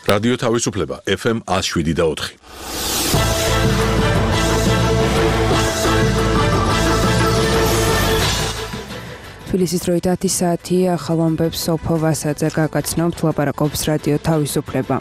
რადიო თავისუფლება FM 107.4. თბილისის დროით 10 საათი ახალ ამბებს სოფო ვასაძე გაგაცნობთ, ლაპარაკობს რადიო თავისუფლება.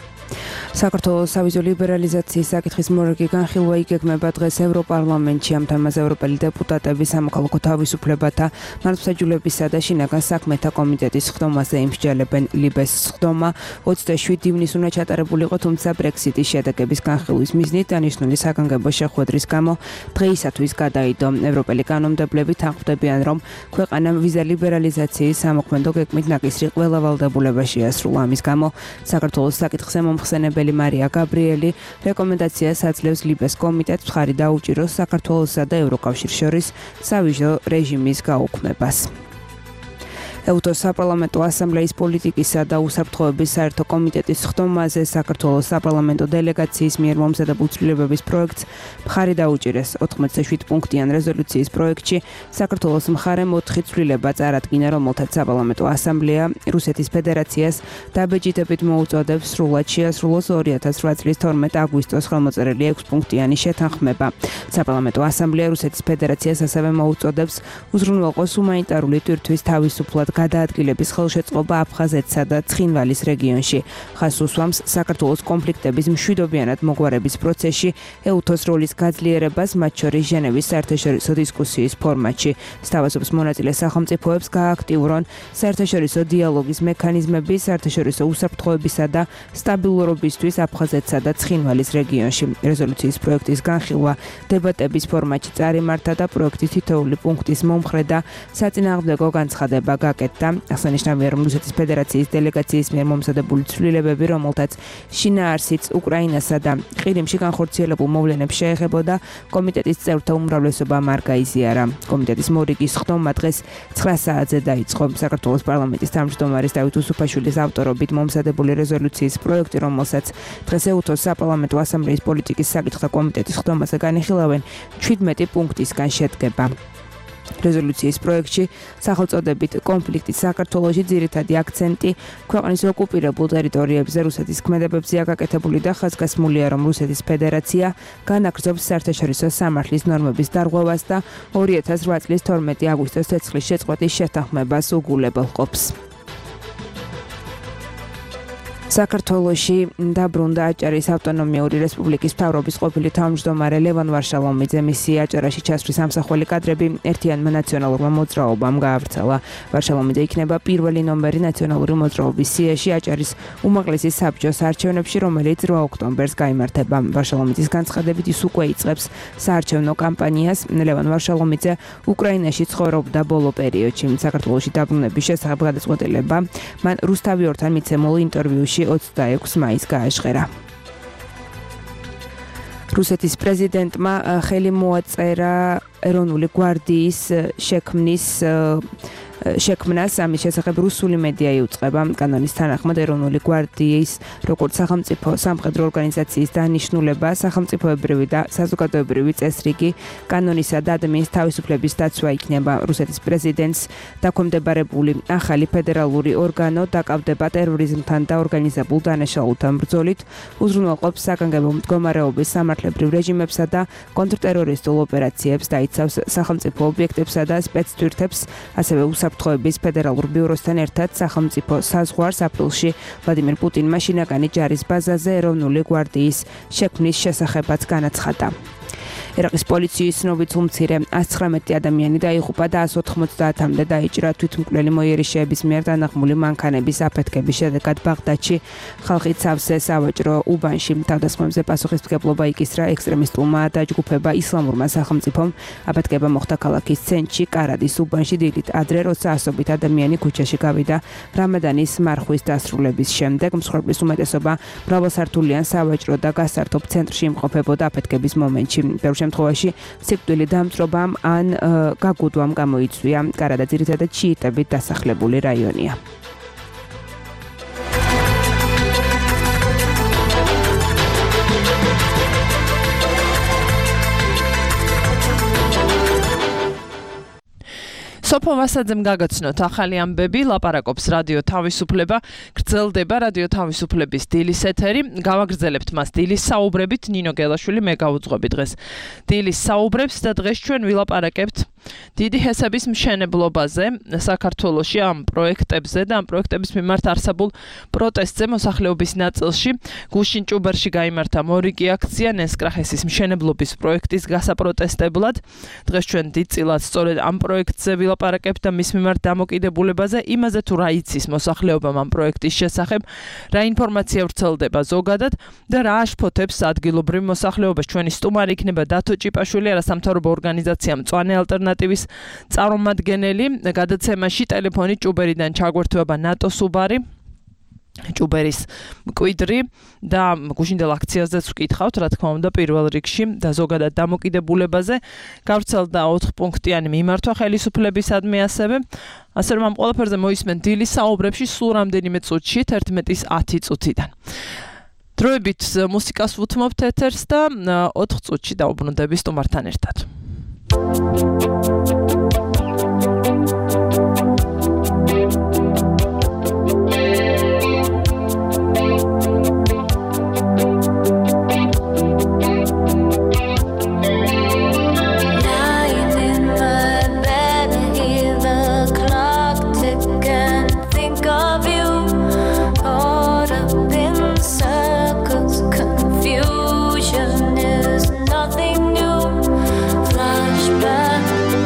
საქართველოს სავიზო ლიბერალიზაციის საკითხის მორიგი განხილვა იგეგმება დღეს ევროპარლამენტში. ამ თემაზე ევროპელი დეპუტატები სამოქალაქო თავისუფლებათა, მართლმსაჯულებისა და შინაგან საქმეთა კომიტეტის ხდომაზე იმსჯელებენ. ლიბეს ხდომა 27 ივნისს უნდა ჩატარებულიყო, თუმცა ბრექსიტის შედეგების განხილვის მიზნით დანიშნული საგანგებო შეხვედრის გამო დღეისათვის გადაიდო. ევროპელი კანონმდებლები თანხმდებიან, რომ ქვეყანამ ვიზა ლიბერალიზაციის სამოქმედო გეგმით ნაკისრი ყველა ვალდებულება შეასრულა. ამის გამო საქართველოს საკითხზე მომხსენებელი მარია გაბრიელი რეკომენდაციას აძლევს ლიბეს კომიტეტს მხარი დაუჭიროს საქართველოსა და ევროკავშირს შორის სავიზო რეჟიმის გაუქმებას. ეუთოს საპარლამენტო ასამბლეის პოლიტიკისა და უსაფრთხოების საერთო კომიტეტის ხდომაზე საქართველოს საპარლამენტო დელეგაციის მიერ მომზადებულ ცვლილებების პროექტს მხარი დაუჭირეს. 87 პუნქტიან რეზოლუციის პროექტში საქართველოს მხარემ 4 ცვლილება წარადგინა, რომელთაც საპარლამენტო ასამბლეა რუსეთის ფედერაციას დაბეჭდებით მოუწოდებს სრულად შეასრულოს 2008 წლის 12 აგვისტოს ხელმოწერილი 6 პუნქტიანი შეთანხმება. საპარლამენტო ასამბლეა რუსეთის ფედერაციას ასევე მოუწოდებს უზრუნველყოს ჰუმანიტარული ტვირთვის თავისუფლად გადაადგილების ხელშეწყობა აფხაზეთსა და ცხინვალის რეგიონში. ხაზს უსვამს საქართველოს კონფლიქტების მშვიდობიანად მოგვარების პროცესში ეუთოს როლის გაძლიერებას, მათ შორის ჟენევის საერთაშორისო დისკუსიის ფორმატში. სთავაზობს მონაწილე სახელმწიფოებს გააქტიურონ საერთაშორისო დიალოგის მექანიზმები საერთაშორისო უსაფრთხოებისა და სტაბილურობისთვის აფხაზეთსა და ცხინვალის რეგიონში. რეზოლუციის პროექტის განხილვა დებატების ფორმატში წარიმართა და პროექტის თითოეული პუნქტის მომხრე და საწინააღმდეგო განცხადება აღსანიშნავია, რომ რუსეთის ფედერაციის დელეგაციის მიერ მომზადებული ცვლილებები, რომელთაც შინაარსიც უკრაინასა და ყირიმში განხორციელებულ მოვლენებს შეეხებოდა, კომიტეტის წევრთა უმრავლესობამ არ გაიზიარა. კომიტეტის მორიგის ხდომა დღეს 9 საათზე დაიწყო. საქართველოს პარლამენტის თავმჯდომარის დავით უსუფაშვილის ავტორობით მომზადებული რეზოლუციის პროექტი, რომელსაც დღეს ეუთოს საპარლამენტო ასამბლეის პოლიტიკის საკითხთა კომიტეტის ხდომაზე განიხილავენ, 17 პუნქტისგან შედგება. რეზოლუციის პროექტში სახელწოდებით კონფლიქტის საქართველოში ძირითადი აქცენტი ქვეყნის ოკუპირებულ ტერიტორიებზე რუსეთის ქმედებებზეა გაკეთებული და ხაზგასმულია, რომ რუსეთის ფედერაცია განაგრძობს საერთაშორისო სამართლის ნორმების დარღვევას და 2008 წლის 12 აგვისტოს ცეცხლის შეწყვეტის შეთანხმებას უგულებელყოფს. საქართველოში დაბრუნდა აჭარის ავტონომიური რესპუბლიკის მთავრობის ყოფილი თავმჯდომარე ლევან ვარშალომიძე. მისი აჭარაში ჩასვლის ამსახველი კადრები ერთიანმა ნაციონალურმა მოძრაობამ გაავრცელა. ვარშალომიძე იქნება პირველი ნომერი ნაციონალური მოძრაობის სიაში აჭარის უმაღლესი საბჭოს არჩევნებში, რომელიც 8 ოქტომბერს გაიმართება. ვარშალომიძის განცხადებით ის უკვე იწყებს საარჩევნო კამპანიას. ლევან ვარშალომიძე უკრაინაში ცხოვრობდა ბოლო პერიოდში. საქართველოში დაბრუნების შესახებ გადაწყვეტილება მან რუსთავიორთან მიცემულ ინტერვიუში 26 მაისს გააჟღერა. რუსეთის პრეზიდენტმა ხელი მოაწერა ეროვნული გვარდიის შექმნას. ამის შესახებ რუსული მედია იუწყება. კანონის თანახმად ეროვნული გვარდიის როგორც სახელმწიფო სამხედრო ორგანიზაციის დანიშნულება, სახელმწიფოებრივი და საზოგადოებრივი წესრიგი, კანონისა და ადამიანის თავისუფლების დაცვა იქნება. რუსეთის პრეზიდენტს დაქვემდებარებული ახალი ფედერალური ორგანო დაკავდება ტერორიზმთან და ორგანიზებულ დანაშაულთან ბრძოლით, უზრუნველყოფს საგანგებო მდგომარეობის სამართლებრივ რეჟიმებსა და კონტრტერორისტულ ოპერაციებს, დაიცავს სახელმწიფო ობიექტებსა და სპეცთვირთებს, ასევე უსაფრთხოების ფედერალურ ბიუროსთან ერთად სახელმწიფო საზღვარს აპრილში ვლადიმერ პუტინმა შინაგანი ჯარის ბაზაზე ეროვნული გვარდიის შექმნის შესახებაც განაცხადა. ერაყის პოლიციის ცნობით უმცირე 119 ადამიანი დაიღუპა და 190-მდე დაიჭრა თვითმკვლელი მოიერიშეების მიერ დანაღმული მანქანების აფეთქების შედეგად ბაღდადში ხალხი სავსე სავაჭრო უბანში თავდასხმებზე პასუხისმგებლობა იკისრა ექსტრემისტულმა დაჯგუფება ისლამურმა სახელმწიფომ. აფეთქება მოხდა ქალაქის ცენტრში კარადის უბანში დილით ადრე, როცა ასობით ადამიანი ქუჩაში გავიდა რამადანის მარხვის დასრულების შემდეგ. მსხვერპლის უმეტესობა მრავალსართულიან სავაჭრო და გასართობ ცენტრში იმყოფებოდა აფეთქების მომენტში. შემთხვევაში სიკვდილი დამწრობამ ან გაგუდვამ გამოიწვია. კარადა ძირითადად შიიტებით დასახლებული რაიონია. სოფო ვასაძემ გაგაცნოთ ახალი ამბები, ლაპარაკობს რადიო თავისუფლება, გრძელდება რადიო თავისუფლების დილის ეთერი, გავაგრძელებთ მას დილის საუბრებით, ნინო გელაშვილი მე გავუძღვები დღეს დილის საუბრებს და დღეს ჩვენ ვილაპარაკებთ დიდი ჰესების მშენებლობაზე საქართველოში ამ პროექტებზე და ამ პროექტების მიმართ არსებულ პროტესტზე მოსახლეობის ნაწილში გუშინ ჭუბერში გაიმართა მორიგი აქცია ნესკრახესის მშენებლობის პროექტის გასაპროტესტებლად. დღეს ჩვენ დიდწილად სწორედ ამ პროექტზე ვილაპარაკებთ და მის მიმართ დამოკიდებულებაზე, იმაზე თუ რა იცის მოსახლეობამ ამ პროექტის შესახებ, რა ინფორმაცია ვრცელდება ზოგადად და რა აშფოთებს ადგილობრივ მოსახლეობას. ჩვენი სტუმარი იქნება დათო ჭიპაშვილი, არასამთავრობო ორგანიზაცია მწვანე ალტერნატივის წარმომადგენელი, გადაცემაში ტელეფონით ჭუბერიდან ჩაგვერთვება ნატო სუბარი, ჭუბერის მკვიდრი და გუშინდელ აქციაზეც ვკითხავთ, რა თქმა უნდა, პირველ რიგში და ზოგადად დამოკიდებულებაზე. გავრცელდა 4 პუნქტიანი მიმართვა ხელისუფლებისადმი ასევე რომ ამ ყველაფერზე მოისმენ დილის საუბრებში სულ რამდენიმე წუთში 11:10 წუთიდან. დროებით მუსიკას ვუთმობთ ეთერს და 4 წუთში დაუბრუნდები სტუმართან ერთად. Confusion is nothing new. Flashback.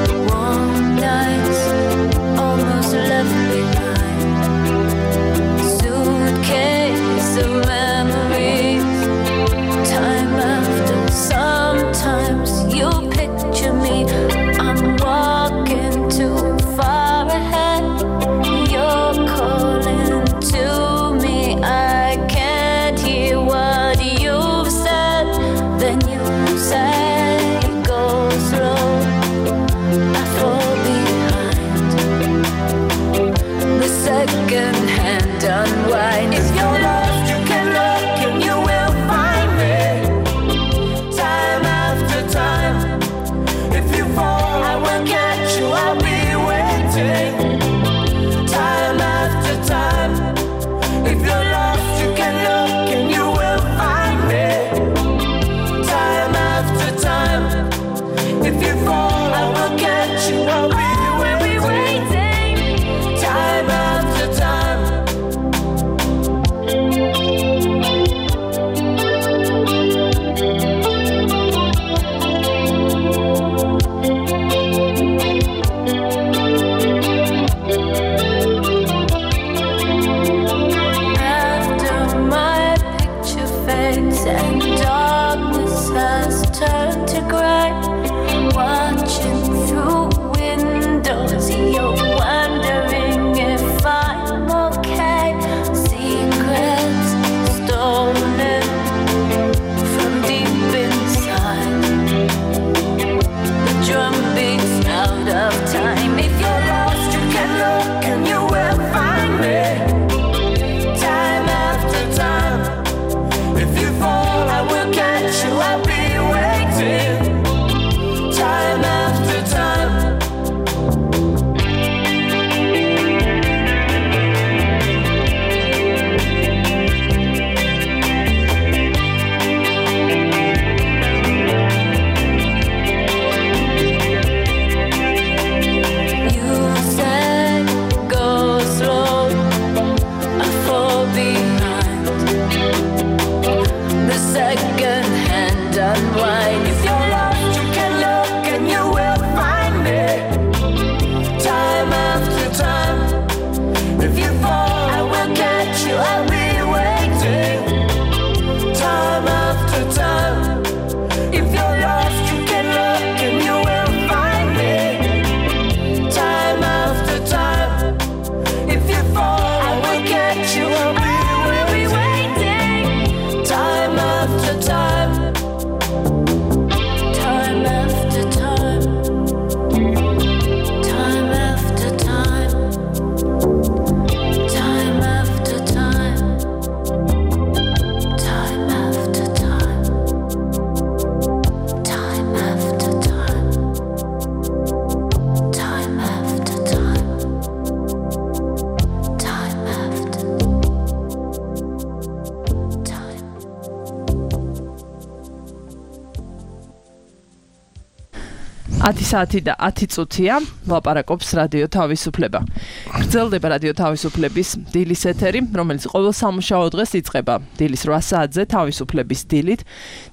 10 საათი და 10 წუთია ლაპარაკობს რადიო თავისუფლება. გრძელდება რადიო თავისუფლების დილის ეთერი, რომელიც ყოველ სამუშაო დღეს იწყება დილის 8 საათზე თავისუფლების დილით.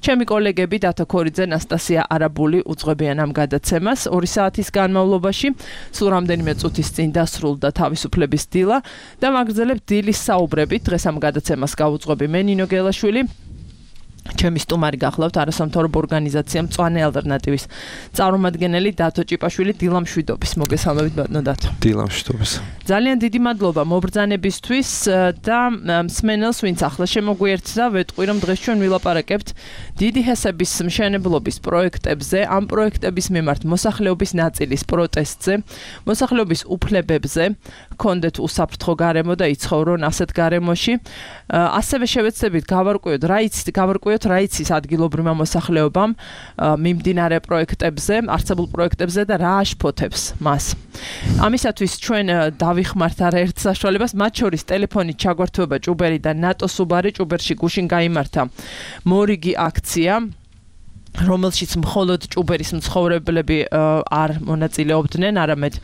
ჩემი კოლეგები დათო ქორიძე, ნასტასია არაბული უძღვებიან ამ გადაცემას 2 საათის განმავლობაში. სულ რამდენიმე წუთის წინ დასრულდა თავისუფლების დილა და მაგრძელებთ დილის საუბრებით. დღეს ამ გადაცემას გავუძღვები მე ნინო გელაშვილი. ჩემი სტუმარი გახლავთ არასამთავრობო ორგანიზაცია მწვანე ალტერნატივის წარმომადგენელი დათო ჭიპაშვილი. დილამშვიდობის. მოგესალმებით ბატონო დათო. დილამშვიდობის. ძალიან დიდი მადლობა მობრძანებისთვის და მსმენელს, ვინც ახლა შემოგვიერთდა, ვეტყვი რომ დღეს ჩვენ ვილაპარაკებთ დიდი ჰესების მშენებლობის პროექტებზე, ამ პროექტების მიმართ მოსახლეობის ნაწილის პროტესტზე, მოსახლეობის უფლებებზე, ჰქონდეთ უსაფრთხო გარემო და იცხოვრონ ასეთ გარემოში. ასევე შევეცდებით გავარკვიოთ რა იცის ადგილობრივმა მოსახლეობამ მიმდინარე პროექტებზე, არსებულ პროექტებზე და რა აშფოთებს მას. ამისათვის ჩვენ დავიხმართ არაერთ საშუალებას, მათ შორის ტელეფონით ჩაგვართვება ჭუბერი და ნატო სუბარი. ჭუბერში გუშინ გაიმართა მორიგი აქცია, რომელშიც მხოლოდ ჭუბერის მცხოვრებლები არ მონაწილეობდნენ, არამედ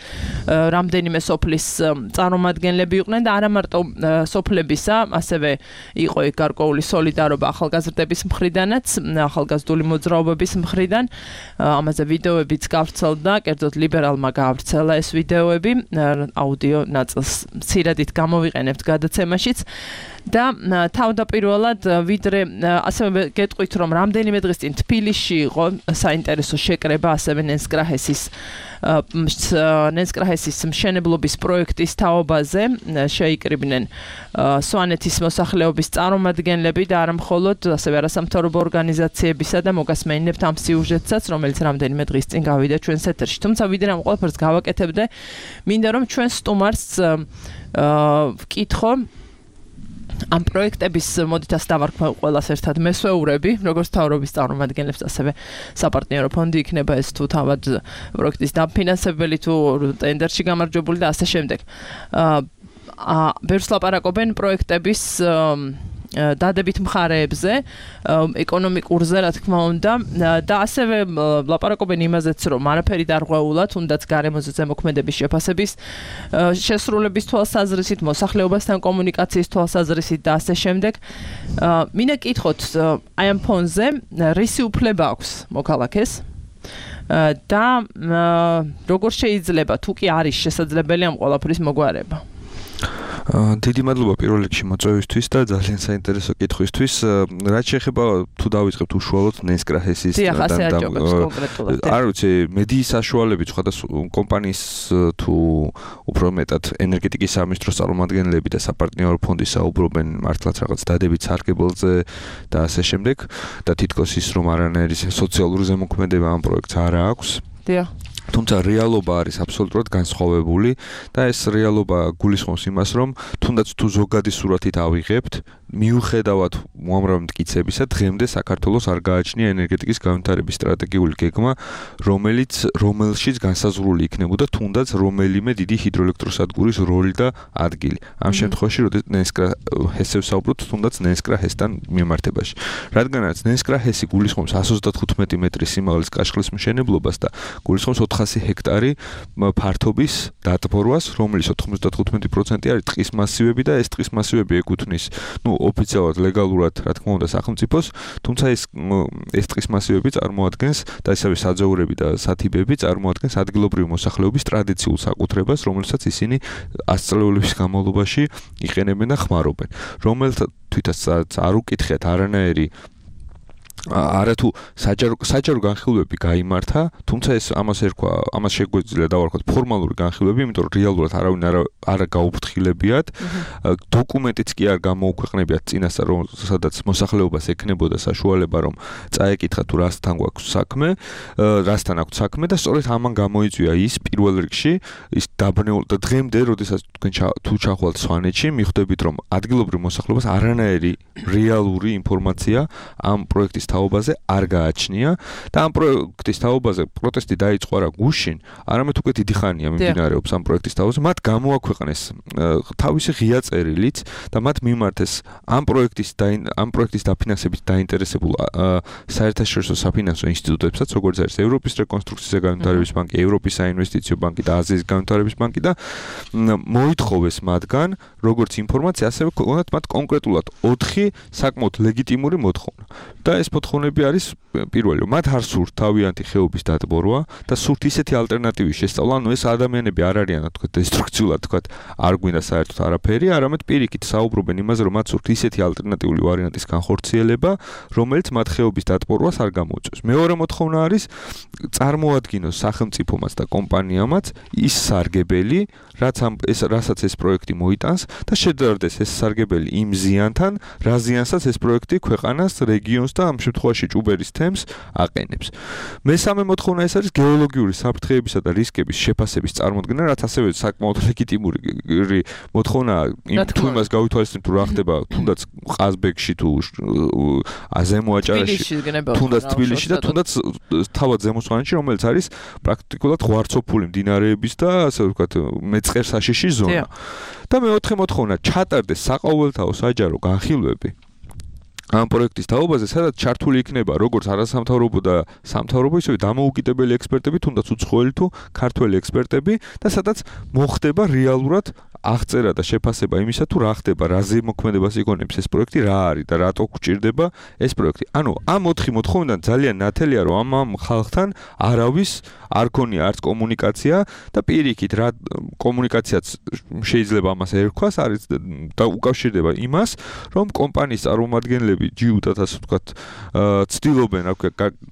რამდენიმე სოფლის წარმომადგენლები იყვნენ და არა მარტო სოფლებისა, ასევე იყო გარკვეული სოლიდარობა ახალგაზრდების მხრიდანაც, ახალგაზრდული მოძრაობების მხრიდან. ამაზე ვიდეოებიც გავრცელდა, კერძოდ ლიბერალმა გაავრცელა ეს ვიდეოები, აუდიო ნაწილს მცირედით გამოვიყენებთ გადაცემაშიც. და თავდაპირველად ვიდრე ასევე გეტყვით რომ რამდენიმე დღის წინ თბილისში იყო საინტერესო შეკრება ასევე ნენსკრაჰესის მშენებლობის პროექტის თაობაზე, შეიკრიბნენ სვანეთის მოსახლეობის წარმომადგენლები და არა მხოლოდ, ასევე არასამთავრობო ორგანიზაციებისა და მოგასმენინებთ ამ სიუჟეტსაც, რომელიც რამდენიმე დღის წინ გავიდა ჩვენს ეთერში. თუმცა ვიდრე ამ ყველაფერს გავაკეთებდე, მინდა რომ ჩვენ სტუმარს ვკითხო ამ პროექტების მოდითაც დავარქვე ყველას ერთად მესვეურები, როგორც მთავრობის წარმომადგენლებს, ასევე საპარტნიორო ფონდი იქნება ეს თუ თავად პროექტის დაფინანსებელი, თუ ტენდერში გამარჯვებული და ასე შემდეგ. ბევრს ლაპარაკობენ პროექტების დადებით მხარეებზე, ეკონომიკურზე, რა თქმა უნდა, და ასევე ლაპარაკობენ იმაზეც, რომ არაფერი დარღვეულა, თუნდაც გარემოზე ზემოქმედების შეფასების შესრულების თვალსაზრისით, მოსახლეობასთან კომუნიკაციის თვალსაზრისით და ასე შემდეგ. მინდა კითხოთ, აი ამ ფონზე რისი უფლება აქვს მოქალაქეს და როგორ შეიძლება, თუ კი არის შესაძლებელი ამ ყველაფრის მოგვარება? დიდი მადლობა პირველ რიგში მოწვევისთვის და ძალიან საინტერესო კითხვისთვის. რაც შეეხება თუ დავიწყებთ უშუალოდ ნენსკრაჰესის არ ვიცი, მედიის საშუალებით სხვადასხვა კომპანიის თუ უფრო მეტად ენერგეტიკის სამინისტროს წარმომადგენლები და საპარტნიორო ფონდი საუბრობენ მართლაც რაღაც დადებით სარგებელზე და ასე შემდეგ და თითქოს ის რომ არანაირი სოციალური ზემოქმედება ამ პროექტს არ აქვს. თუმცა რეალობა არის აბსოლუტურად განსხვავებული და ეს რეალობა გულისხმობს იმას, რომ თუნდაც თუ ზოგადი სურათით ავიღებთ, მიუხედავად უამრავი მტკიცებისა, დღემდე საქართველოს არ გააჩნია ენერგეტიკის განვითარების სტრატეგიული გეგმა, რომელშიც განსაზღვრული იქნებოდა თუნდაც რომელიმე დიდი ჰიდროელექტროსადგურის როლი და ადგილი. ამ შემთხვევაში, როდესაც ნენსკრაჰესებს საუბრობთ, თუნდაც ნენსკრაჰესთან მიმართებაში. რადგანაც ნენსკრაჰესი გულისხმობს 130 მეტრის სიმაღლის კაშხლის მშენებლობას და გულისხმობს 400 ჰექტარი ფართობის დატბორვას, რომლის 95% არის ტყის მასივები და ეს ტყის მასივები ეკუთვნის, ოფიციალურად ლეგალურად, რა თქმა უნდა, სახელმწიფოს, თუმცა ეს ტყის მასივები წარმოადგენს და ისევე საძოვრები და სათიბები წარმოადგენს ადგილობრივი მოსახლეობის ტრადიციულ საკუთრებას, რომელსაც ისინი ასწლეულების განმავლობაში იყენებენ და ხმარობენ. რომელთვისაც არ უკითხეთ არანაირი არათუ საჯარო განხილვები გაიმართა, თუმცა ეს ამას შეგვიძლია დავარქვათ ფორმალური განხილვები, იმიტომ რომ რეალურად არავინ არ გაუფრთხილებიათ. დოკუმენტიც კი არ გამოუქვეყნებიათ წინასწარ, სადაც მოსახლეობას ექნებოდა საშუალება, რომ წაეკითხა თუ რასთან აქვს საქმე და სწორედ ამან გამოიწვია ის პირველ რიგში ის დაბნეული და დღემდე, როდესაც თქვენ თუ ჩახვალთ სვანეთში, მიხვდებით, რომ ადგილობრივ მოსახლეობას არანაირი რეალური ინფორმაცია ამ პროექტის თაობაზე არ გააჩნია და ამ პროექტის თაობაზე პროტესტი დაიწყო არა გუშინ, არამედ უკვე დიდი ხანია მიმდინარეობს ამ პროექტის თაობაზე. მათ გამოაქვეყნეს თავისი ღია წერილიც და მათ მიმართეს ამ პროექტის დაფინანსებით დაინტერესებულ საერთაშორისო საფინანსო ინსტიტუტებსაც, როგორც არის ევროპის რეკონსტრუქციის და განვითარების ბანკი, ევროპის საინვესტიციო ბანკი და აზიის განვითარების ბანკი და მოითხოვეს მათგან როგორც ინფორმაცია, ასევე ქონდათ მათ კონკრეტულად 4 საკმაოდ ლეგიტიმური მოთხოვნა. და ეს მოთხოვნები არის პირველი, მათ არ სურთ თავიანთი ხეობის დატბორვა და სურთ ისეთი ალტერნატივის შესწავლა, ანუ ეს ადამიანები არ არიან, თქვა, დესტრუქციულად, თქვა, არ გვინდა საერთოდ არაფერი, არამედ პირიქით საუბრობენ იმაზე, რომ მათ სურთ ისეთი ალტერნატიული ვარიანტის განხორციელება, რომელიც მათ ხეობის დატბორვას არ გამოუწევს. მეორე მოთხოვნა არის წარმოადგინოს სახელმწიფომაც და კომპანიამაც ის სარგებელი, რასაც ეს პროექტი მოიტანს და შედარდეს ეს სარგებელი იმ ზიანთან, რა ზიანსაც ეს პროექტი ქვეყანას, რეგიონს და ამ შემთხვევაში ჭუბერის თემს აყენებს. მესამე მოთხოვნა ეს არის გეოლოგიური საფრთხეებისა და რისკების შეფასების წარმოქმნა, რაც ასევე საკმაოდ ლეგიტიმური მოთხოვნაა, თუ იმას გავითვალისწინებთ, თუ რა ხდება თუნდაც ყაზბეგში თუ ზემო აჭარაში, თუნდაც თბილისში და თუნდაც თავად ზემო სვანეთში, რომელიც არის პრაქტიკულად ღვარცოფული მდინარეების და ასე ვთქვათ მეწყერსაშიში ზონა. და მეოთხე მოთხოვნა ჩატარდეს საყოველთაო საჯარო განხილვები ამ პროექტის თაობაზე, სადაც ჩართული იქნება როგორც არასამთავრობო და სამთავრობო, ისევე დამოუკიდებელი ექსპერტები, თუნდაც უცხოელი თუ ქართველი ექსპერტები და სადაც მოხდება რეალურად აღწერა და შეფასება იმისა, თუ რა ხდება, რა ზემოქმედებას იგონებს ეს პროექტი, რა არის და რატო გვჭირდება ეს პროექტი. ანუ ამ 4 მოთხოვნიდან ძალიან ნათელია, რომ ამ ხალხთან არავის არ ქონია არც კომუნიკაცია და პირიქით რა კომუნიკაციაც შეიძლება ამას ერქვას, არის და უკავშირდება იმას, რომ კომპანიის წარმომადგენლები ჯიუტად ასე ვთქვათ, ცდილობენ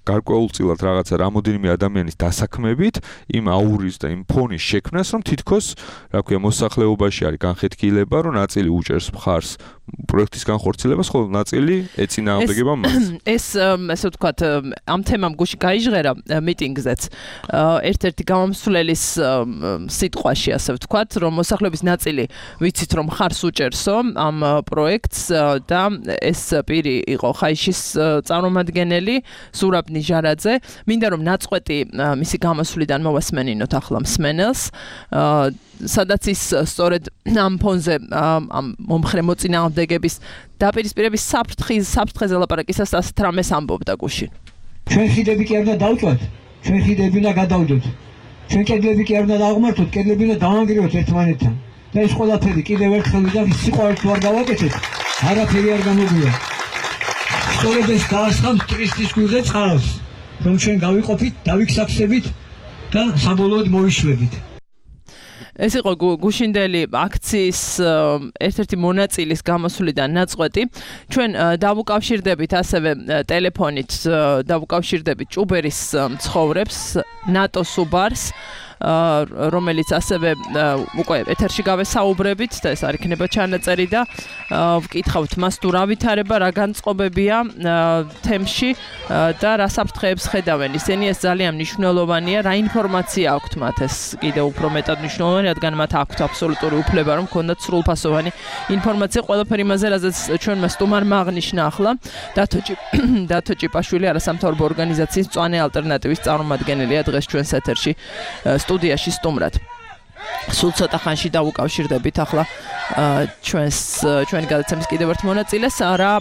გარკვეულწილად რაღაცა რამოდენიმე ადამიანის დასაქმებით, იმ აურის და იმ ფონის შექმნას, რომ თითქოს, რა ქვია, მოსახლეობაში არის განხეთქილება, რომ ნაწილი უჭერს მხარს პროექტის განხორციელებას, ხოლო ნაწილი ეწინააღმდეგება მას. ეს ასე ვთქვათ, ამ თემამ გუში გაიჟღერა მიტინგზეც. ერთ-ერთი გამომსვლელის სიტყვაში ასე ვთქვათ, რომ მოსახლეობის ნაწილი ვიცით რომ ხარს უჭერსო ამ პროექტს და ეს პირი იყო ხაიშის წარმომადგენელი ზურაბ ნიჟარაძე. მინდა რომ ნაწყვეტი მისი გამოსვლიდან მოვასმენინოთ ახლა მსმენელს. სადაც ის სწორედ ამ ფონზე ამ მომხრე მოწინააღმდეგების დაპირისპირების საფრთხეზე ლაპარაკისას ასეთ რამეს ამბობდა გუშინ. ჩვენ ხიდები კი არ უნდა დავწვათ, ჩვენ ხიდები უნდა გადავდოთ. ჩვენ კედლები კი არ უნდა დავღმართოთ, კედლები უნდა დავანგრიოთ ერთმანეთთან. და ეს ყველაფერი კიდევ ერთხელ ვიდა სიყვარული თუ არ გავაკეთეთ, არაფერი არ გამოგვია. სწორედ ეს გაასხამს ტურისტის გულზე წყალს, რომ ჩვენ გავიყოფით, დავიქსაფსებით და საბოლოოდ მოვიშვებით. ეს იყო გუშინდელი აქციის ერთ-ერთი მონაწილის გამოსვლიდან ნაწყვეტი. ჩვენ დავუკავშირდებით ასევე ტელეფონით, დავუკავშირდებით ჭუბერის მცხოვრებს, ნატო სუბარს, რომელიც ასევე უკვე ეთერში გავესაუბრებით და ეს არ იქნება ჩანაწერი და ვკითხავთ მას თუ რა ვითარება, რა განწყობებია თემში და რა საფრთხეებს ხედავენ. ისინი ეს ძალიან მნიშვნელოვანია, რა ინფორმაცია აქვთ მათ, ეს კიდევ უფრო მეტად მნიშვნელოვანი, რადგან მათ აქვთ აბსოლუტური უფლება, რომ ქონდათ სრულფასოვანი ინფორმაცია ყველაფერი იმაზე, რაზეც ჩვენმა სტუმარმა აღნიშნა ახლა დათო ჭიპაშვილი, არასამთავრობო ორგანიზაციის მწვანე ალტერნატივის წარმომადგენელია დღეს ჩვენს ეთერში სტუდიაში სტუმრად. სულ ცოტა ხანში დავუკავშირდებით ახლა ჩვენი გადაცემის კიდევ ერთ მონაწილეს, რა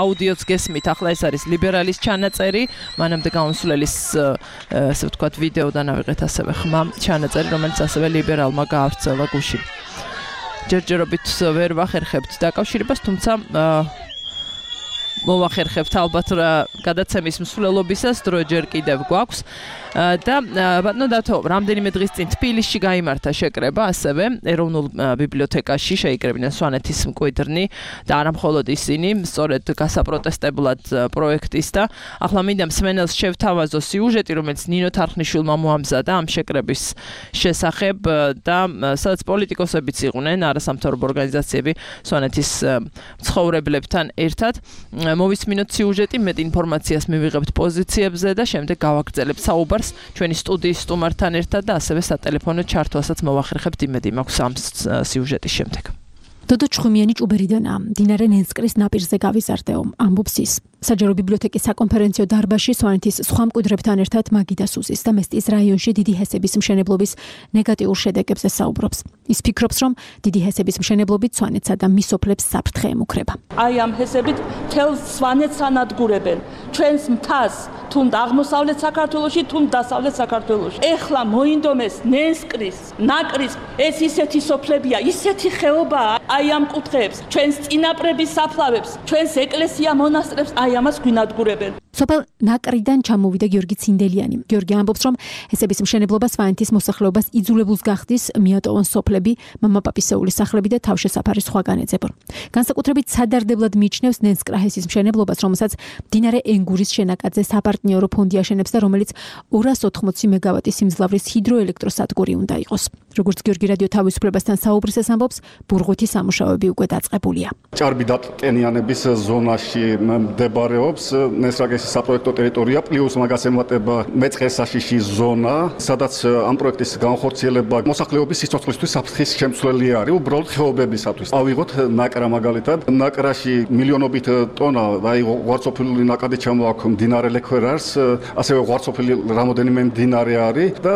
აუდიოც გესმით, ახლა ეს არის ლიბერალის ჩანაწერი, მანამდე გამოსვლელის ასე ვთქვათ ვიდეოდან ავიღეთ ასევე ხმა ჩანაწერი, რომელიც ასევე ლიბერალმა გაავრცელა გუშინ. ჯერჯერობით ვერ ვახერხებთ დაკავშირებას, თუმცა მოვახერხებთ ალბათ გადაცემის მსვლელობისას დრო ჯერ კიდევ გვაქვს და ბატონო დათო, რამდენიმე დღის წინ თბილისში გაიმართა შეკრება ასევე ეროვნულ ბიბლიოთეკაში, შეიკრებინა სვანეთის მკვიდრნი და არა მხოლოდ ისინი, სწორედ გასაპროტესტებლად პროექტის და ახლა მინდა მსმენელს შევთავაზო სიუჟეტი, რომელიც ნინო თარხნიშვილმა მოამზადა ამ შეკრების შესახებ და სადაც პოლიტიკოსებიც იყვნენ, არასამთავრობო ორგანიზაციები სვანეთის მცხოვრებლებთან ერთად. მოვისმინოთ სიუჟეტი, მეტ ინფორმაციას მივიღებთ პოზიციებზე და შემდეგ გავაგრძელებთ საუბარს ჩვენი სტუდიის სტუმართან ერთად და ასევე სატელეფონო ჩართვასაც მოვახერხებთ იმედი მაქვს ამ სიუჟეტის შემდეგ. დოდო ჩხუმიანი ჭუბერიდანაა, მდინარე ნენსკრის ნაპირზე გავიზარდეო, ამბობს ის. საჯარო ბიბლიოთეკის საკონფერენციო დარბაზში სვანეთის სხვა მკვიდრებთან ერთად მაგიდა სუზის და მესტის რაიონში დიდი ჰესების მშენებლობის ნეგატიურ შედეგებზე საუბრობს. ის ფიქრობს, რომ დიდი ჰესების მშენებლობით სვანეთსა და მის სოფლებს საფრთხე ემუქრება. აი ამ ჰესებით თელს სვანეთს ანადგურებენ. ჩვენს მთას თუნდ აღმოსავლეთ საქართველოში, თუნდ დასავლეთ საქართველოში. ეხლა მოინდომეს ნენსკრის, ნაკრის ეს ისეთი სოფლებია, ისეთი ხეობაა. აი ამ კუთხეებს, ჩვენს წინაპრების საფლავებს, ჩვენს ეკლესია მონასტრებს აი ამას გვინადგურებენ. სოფელ ნაკრიდან ჩამოვიდა გიორგი ცინდელიანი. გიორგი ამბობს, რომ ჰესების მშენებლობა სვანეთის მოსახლეობას იძულებულს გახდის მიატოვონ სოფლები, მამაპაპისეულის სახლები და თავშესაფარი სხვაგან ეძებონ. განსაკუთრებით სადარდებლად მიიჩნევს ნენსკრაჰესის მშენებლობას, რომელსაც მდინარე ენგურის შენაკადზე საპარტნიორო ფონდი აშენებს და რომელიც 280 მეგავატის სიმძლავრის ჰიდროელექტროსადგური უნდა იყოს. როგორც გიორგი რადიო თავისუფლებასთან საუბრისას ამბობს, ბურღვითი სამუშაოები უკვე დაწყებულია. ჭარბი დატენიანების ზონაში მდებარეობს ნენსკრაჰესის საპროექტო ტერიტორია, პლუს მაგას ემატება მეწყერსაშიში ზონა, სადაც ამ პროექტის განხორციელება მოსახლეობის სიცოცხლისთვის საფრთხის შემცვლელი არის, უბრალოდ ხეობებისათვის. ავიღოთ ნაკრა მაგალითად, ნაკრაში მილიონობით ტონა, აი ღვარცოფილი ნაკადი ჩამოაქვს მდინარე ლექვერარს, ასევე ღვარცოფილი რამოდენიმე მდინარე არის და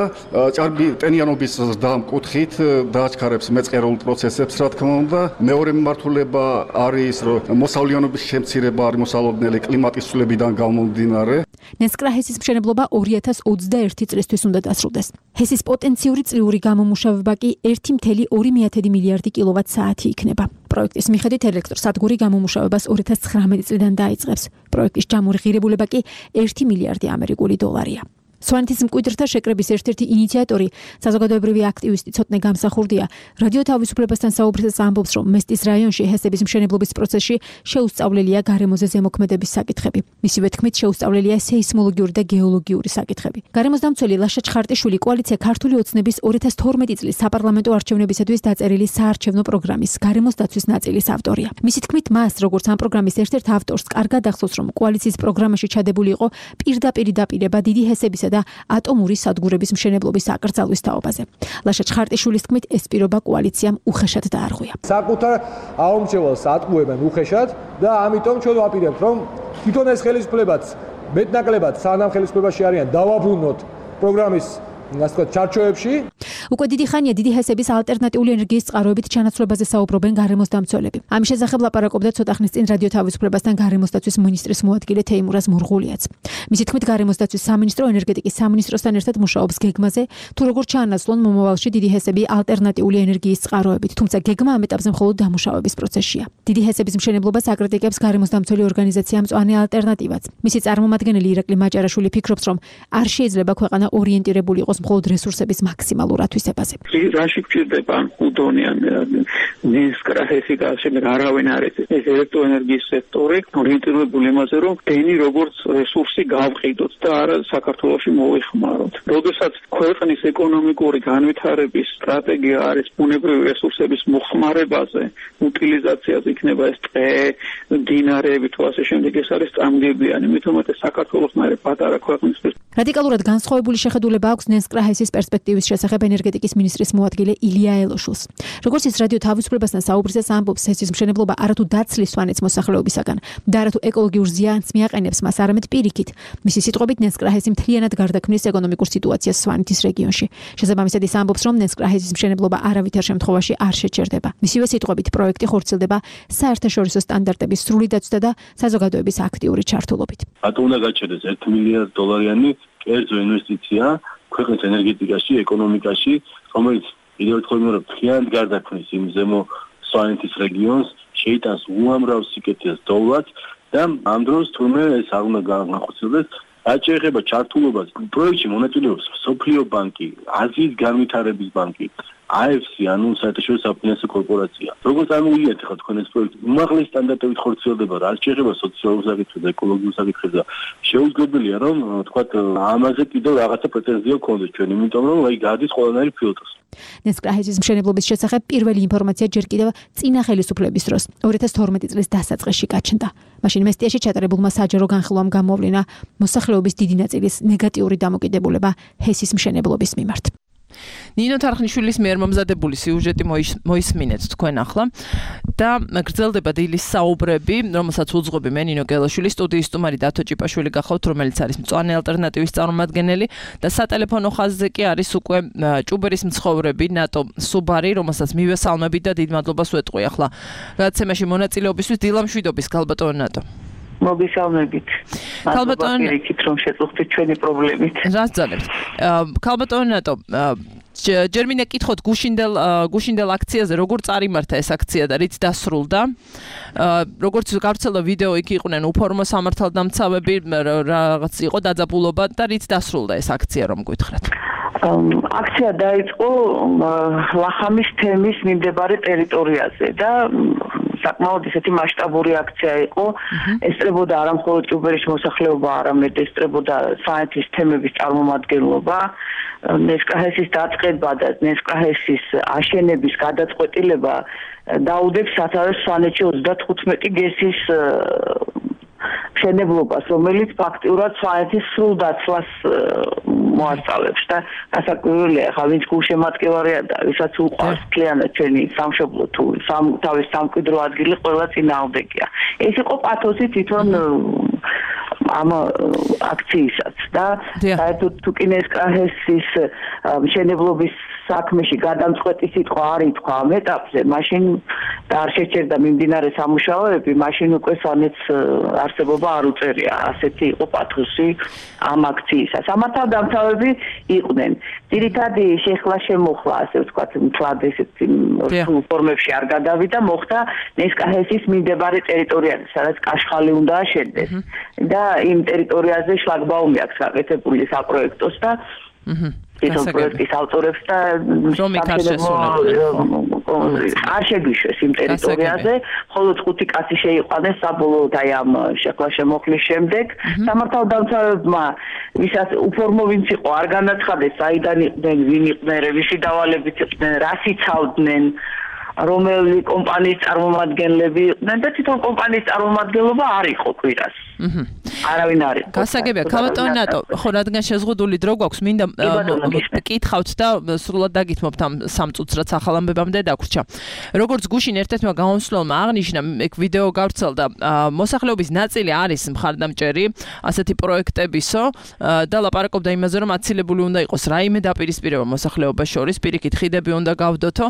ჭარბი ტენიანობის ზრდა კუთხით დააჩქარებს მეწყერულ პროცესებს, რა თქმა უნდა. მეორე მიმართულება არის, რომ მოსავლიანობის შემცირება არის მოსალოდნელი კლიმატის ცვლილებიდან გამომდინარე. ნენსკრაჰესის მშენებლობა 2021 წლისთვის უნდა დასრულდეს. ჰესის პოტენციური წლიური გამომუშავება კი 1,2 მილიარდი კილოვატ-საათი იქნება. პროექტის მიხედვით ელექტროსადგური გამომუშავებას 2019 წლიდან დაიწყებს. პროექტის ჯამური ღირებულება კი 1 მილიარდი ამერიკული დოლარია. სვანეთის მკვიდრთა შეკრების ერთ-ერთი ინიციატორი, საზოგადოებრივი აქტივისტი ცოტნე გამსახურდია, რადიო თავისუფლებასთან საუბრისას ამბობს, რომ მესტის რაიონში ჰესების მშენებლობის პროცესში შეუსწავლელია გარემოზე ზემოქმედების საკითხები. მისივე თქმით, შეუსწავლელია სეისმოლოგიური და გეოლოგიური საკითხები. გარემოსდამცველი ლაშა ჩხარტიშვილი კოალიცია ქართული ოცნების 2012 წლის საპარლამენტო არჩევნებისათვის დაწერილი საარჩევნო პროგრამის გარემოს დაცვის ნაწილის ავტორია. მისი თქმით, მას, როგორც ამ პროგრამის ერთ-ერთ ავტორს, კარგად ახსოვს, რომ კოალიციის პროგრამაში ჩადებული იყო პირდაპირი დაპირება დიდი ჰესების და ატომური სადგურების მშენებლობის აკრძალვის თაობაზე. ლაშა ჩხარტიშვილის თქმით, ეს პირობა კოალიციამ უხეშად დაარღვია. საკუთარ აუმრჩევალს ატყუებენ უხეშად და ამიტომ ჩვენ ვაპირებთ, რომ თვითონ ეს ხელისუფლებაც მეტნაკლებად სანამ ხელისუფლებაში არიან დავაბრუნოთ პროგრამის ჩარჩოებში. უკვე დიდი ხანია დიდი ჰესების ალტერნატიული ენერგიის წყაროებით ჩანაცვლებაზე საუბრობენ გარემოსდამცველები. ამის შესახებ ლაპარაკობდა ცოტა ხნის წინ რადიო თავისუფლებასთან გარემოსდაცვის მინისტრის მოადგილე თეიმურაზ მურღულიაც. მისი თქმით, გარემოსდაცვის სამინისტრო ენერგეტიკის სამინისტროსთან ერთად მუშაობს გეგმაზე, თუ როგორ ჩაანაცვლონ მომავალში დიდი ჰესები ალტერნატიული ენერგიის წყაროებით, თუმცა გეგმა ამ ეტაპზე მხოლოდ დამუშავების პროცესშია. დიდი ჰესების მშენებლობას აკრიტიკებს გარემოსდამცველი ორგანიზაცია მწვანე ალტერნატივაც. მისი წარმომადგენელი ირაკლი მაჭარაშვილი ფიქრობს, რომ არ შეიძლება ქვეყანა ორიენტირებული იყოს მხოლოდ რესურსების მაქსიმალურ ათვისებაზე. რაში გვჭირდება უდონიან ნენსკრაჰესი და შემდეგ არავინ არის ეს ელექტროენერგიის სექტორი ორიენტირებული იმაზე, რომ დენი როგორც რესურსი გავყიდოთ და არა საქართველოში მოიხმაროთ. როდესაც ქვეყნის ეკონომიკური განვითარების სტრატეგია არის ბუნებრივი რესურსების მოხმარებაზე, უტილიზაციაზე, იქნება ეს ტყე, მდინარეები თუ ასე შემდეგ, ეს არის წამგებიანი, მით უმეტეს საქართველოს მერე პატარა ქვეყნისთვის. რადიკალურად განსხვავებული შეხედულება აქვს ნენსკრაჰესის პერსპექტივის შესახებ ენერგეტიკის მინისტრის მოადგილე ილია ელოშულს. როგორც ის რადიო თავისუფლებასთან საუბრისას ამბობს, ჰესის მშენებლობა არათუ დაცლის სვანეთის მოსახლეობისაგან და არათუ ეკოლოგიურ ზიანს მიაყენებს მას, არამედ პირიქით. მისი სიტყვებით, ნენსკრაჰესი მთლიანად გარდაქმნის ეკონომიკურ სიტუაციას სვანეთის რეგიონში. შესაბამისად, ის ამბობს, რომ ნენსკრაჰესის მშენებლობა არავითარ შემთხვევაში არ შეჩერდება. მისივე სიტყვებით, პროექტი ხორციელდება საერთაშორისო სტანდარტების სრული დაცვისა და საზოგადოების აქტიური ჩართულობით. რატომ უნდა გაჩერდეს 1 მილიარდ დოლარიანი კერძო ინვესტიცია ქვეყნის ენერგეტიკაში, ეკონომიკაში, რომელიც კიდევ ერთხელ მეორე მთლიანად გარდაქმნის იმ ზემო სვანეთის რეგიონს, შეიტანს უამრავ სიკეთეს დოვლად და ამ დროს თურმე ეს არ უნდა განხორციელდეს. რაც შეეხება ჩართულობას, პროექტში მონაწილეობს მსოფლიო ბანკი, აზიის განვითარების ბანკი, AFC ანუ საერთაშორისო საფინანსო კორპორაცია. როგორც ამოვიეთ ხა თქვენ ეს პროექტი, უმაღლესი სტანდარტებით ხორციელდება რა შეეხება სოციალურ საკითხებს და ეკოლოგიურ საკითხებს და შეუძლებელია რომ თქვათ ამაზე კიდევ რაღაცა პრეტენზია გქონდეს ჩვენ, იმიტომ რომ აი გადის ყველანაირი ფილტრს. ნესკრაჰესის მშენებლობის შესახებ პირველი ინფორმაცია ჯერ კიდევ წინა ხელისუფლების დროს 2012 წლის დასაწყისში გაჩნდა. მაშინ მესტიაში ჩატარებულმა საჯარო განხილვამ გამოვლინა მოსახლეობის დიდი ნაწილის ნეგატიური დამოკიდებულება ჰესის მშენებლობის მიმართ. ნინო თარხნიშვილის მიერ მომზადებული სიუჟეტი მოისმინეთ თქვენ ახლა და გრძელდება დილის საუბრები, რომელსაც უძღვები მე ნინო გელაშვილი, სტუდიის სტუმარი დათო ჭიპაშვილი გახავთ, რომელიც არის მწვანე ალტერნატივის წარმომადგენელი და სატელეფონო ხაზზე კი არის უკვე ჭუბერის მცხოვრები ნატო სუბარი, რომელსაც მივესალმებით და დიდ მადლობას ვეტყვი ახლა გადაცემაში მონაწილეობისთვის. დილამშვიდობის ქალბატონო ნატო. მოგესალმებით. ქალბატონო პირიქით რომ შეწუხდით ჩვენი პრობლემით. რას ძალებთ? ქალბატონო ნატო, ჯერ მინდა კითხოთ გუშინდელ აქციაზე როგორ წარიმართა ეს აქცია და რით დასრულდა? როგორც გავრცელდა ვიდეო, იქ იყვნენ უფორმო სამართალდამცავები, რაღაც იყო დაძაბულობა და რით დასრულდა ეს აქცია რომ გითხრათ? აქცია დაიწყო ლახამის თემის მიმდებარე ტერიტორიაზე და საკმაოდ ისეთი მასშტაბური აქცია იყო. ესწრებოდა არა მხოლოდ ჭუბერის მოსახლეობა, არამედ ესწრებოდა საერთის თემების წარმომადგენლობა, ნესკრაჰესის დაწყება და ნესკრაჰესის აშენების გადაწყვეტილება დაუდებს სათავეს სვანეთში 35 გესის მშენებლობას, რომელიც ფაქტიურად სვანეთის სრულ დაცვას მოასწავლებს და გასაკვირველია, ხა ვინც გულშემატკივარია და ვისაც უყვარს მთლიანად ჩვენი სამშობლო თუ თავის სამკვიდრო ადგილი ყველა წინააღმდეგია. ეს იყო პათოსი თვითონ ამ აქცияსაც და საერთოდ თუ კი ნესკრაჰესის მშენებლობის საქმეში გადამწყვეტი სიტყვა არ ითქვა ამ ეტაპზე, მაშინ და არ შეჩერდა მიმდინარე სამუშაოები, მაშინ უკვე სვანეთს არსებობა არ უწევია. ასეთი იყო პათოსი ამ აქციისა. სამართალდამცავები იყვნენ. ძირითადი შეხლა შემოხლა, ასე ვთქვათ, მთლად ესეთი ფორმებში არ გადავიდა, მოხდა ნესკრაჰესის მიმდებარე ტერიტორიაზე, სადაც კაშხალი უნდა აშენდეს. და იმ ტერიტორიაზე შლაგბაუმი აქვს გაკეთებული საპროექტოს და ეს პროექტის ავტორებს და არ შეგვიშვეს იმ ტერიტორიაზე, ხოლო 5 კაცი შეიყვანეს საბოლოოდ აი ამ შეხლა შემოხლის შემდეგ. სამართალდამცავებმა, ვისაც უფორმო ვინც იყო, არ განაცხადეს საიდან იყვნენ, ვინ იყვნენ, ვისი დავალებით იყვნენ, რას იცავდნენ, რომელი კომპანიის წარმომადგენლები იყვნენ და თვითონ კომპანიის წარმომადგენლობა არ იყო კვირას. არავინ არ იყო. გასაგებია, ქალბატონო ნატო, ხო რადგან შეზღუდული დრო გვაქვს, მინდა კითხავთ და სრულად დაგითმობთ ამ 3 წუთს, რაც ახალ ამბებამდე დაგვრჩა. როგორც გუშინ ერთ-ერთმა გამომსვლელმა აღნიშნა, ეგ ვიდეო გავრცელდა, მოსახლეობის ნაწილი არის მხარდამჭერი ასეთი პროექტებისო და ლაპარაკობდა იმაზე, რომ აცილებული უნდა იყოს რაიმე დაპირისპირება მოსახლეობას შორის, პირიქით ხიდები უნდა გავდოთო.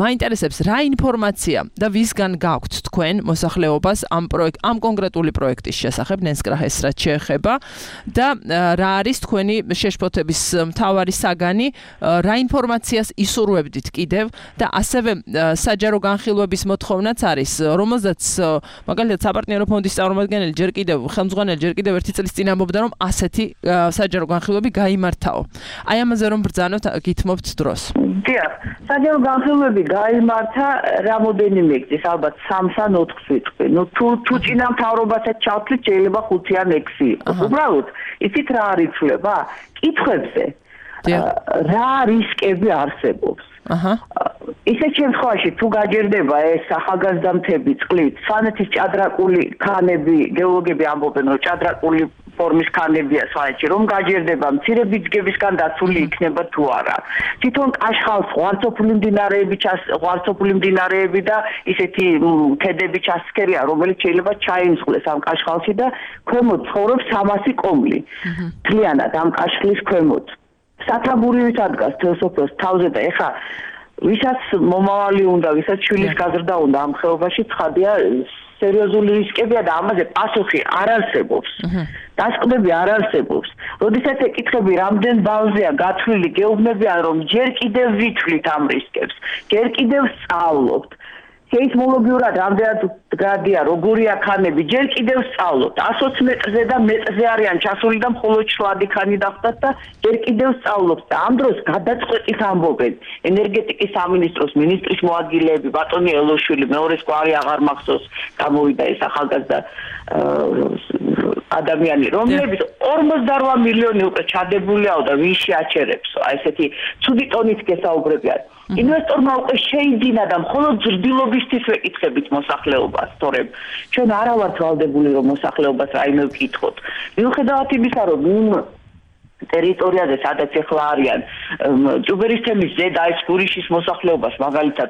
მაინტერესებს რა ინფორმაცია და ვისგან გაქვთ თქვენ მოსახლეობას ამ კონკრეტული პროექტის შესახებ, ნესკრაჰეს რაც შეეხება და რა არის თქვენი შეშფოთების მთავარი საგანი, რა ინფორმაციას ისურვებდით კიდევ და ასევე საჯარო განხილვების მოთხოვნაც არის, რომელზეც მაგალითად საპარტნიორო ფონდის წარმომადგენელი ხელმძღვანელი ჯერ კიდევ ერთი წლის წინ ამბობდა, რომ ასეთი საჯარო განხილვები გაიმართაო. აი ამაზე რომ ბრძანოთ, გითმობთ დროს. დიახ, საჯარო განხილვები გაიმართა რამოდენიმე გზის, ალბათ 3 ან 4 ვიტყვი. ნუ თუ წინა მთავრობასაც ჩავთვლით, შეიძლება 5 ან 6 იყოს. უბრალოდ, იცით რა არის იცვლება? კითხვებზე. რა რისკები არსებობს? ისეთ შემთხვევაში თუ გაჯერდება ეს ახალგაზრდამთები წყლით, სვანეთის ჭადრაკული ქანები, გეოლოგები ამბობენ, რომ ჭადრაკული ფორმის ქანებია სვანეთში, რომ გაჯერდება მცირე ბიძგებისგან დაცული იქნება თუ არა. თვითონ კაშხალს ღვარცოფული მდინარეები და ისეთი ქედები ჩასქერია, რომელიც შეიძლება ჩაიმსხლეს ამ კაშხალში და ქვემოთ ცხოვრობს 300 კომლი. მთლიანად ამ კაშხლის ქვემოთ. სათაბურივით ადგას თელსოფოს თავზე და ეხა ვისაც მომავალი უნდა, ვისაც შვილის გაზრდა უნდა ამ ხეობაში, ცხადია სერიოზული რისკებია და ამაზე პასუხი არ არსებობს. დასკვნები არ არსებობს. როდესაც ეკითხები რამდენ ბალზეა გათვლილი, გეუბნებიან რომ ჯერ კიდევ ვითვლით ამ რისკებს, ჯერ კიდევ სწავლობთ. სეისმოლოგიურად რამდენად გრადია, როგორია ქანები, ჯერ კიდევ სწავლობთ. 120 მეტრზე და მეტრზე არიან ჩასული და მხოლოდ შლადი ქანი დახტათ და ჯერ კიდევ სწავლობთ. და ამ დროს გადაწყვეტით ამბობენ ენერგეტიკის სამინისტროს მინისტრის მოადგილეები, ბატონი ელოშვილი, მეორეს კვარი აღარ მახსოვს, გამოვიდა ეს ახალგაზრდა ადამიანი, რომლებიც 48 მილიონი უკვე ჩადებულიაო და ვინ შეაჩერებსო, აი ესეთი ცუდი ტონით გესაუბრებიან. ინვესტორმა უკვე შეიძინა და მხოლოდ ზრდილობისთვის ვეკითხებით მოსახლეობას, თორემ ჩვენ არა ვართ ვალდებული რომ მოსახლეობას რაიმე ვკითხოთ. მიუხედავად იმისა, რომ ტერიტორიაზე სადაც ეხლა არიან ჭუბერის თემის ზედა ეს გურიშის მოსახლეობას მაგალითად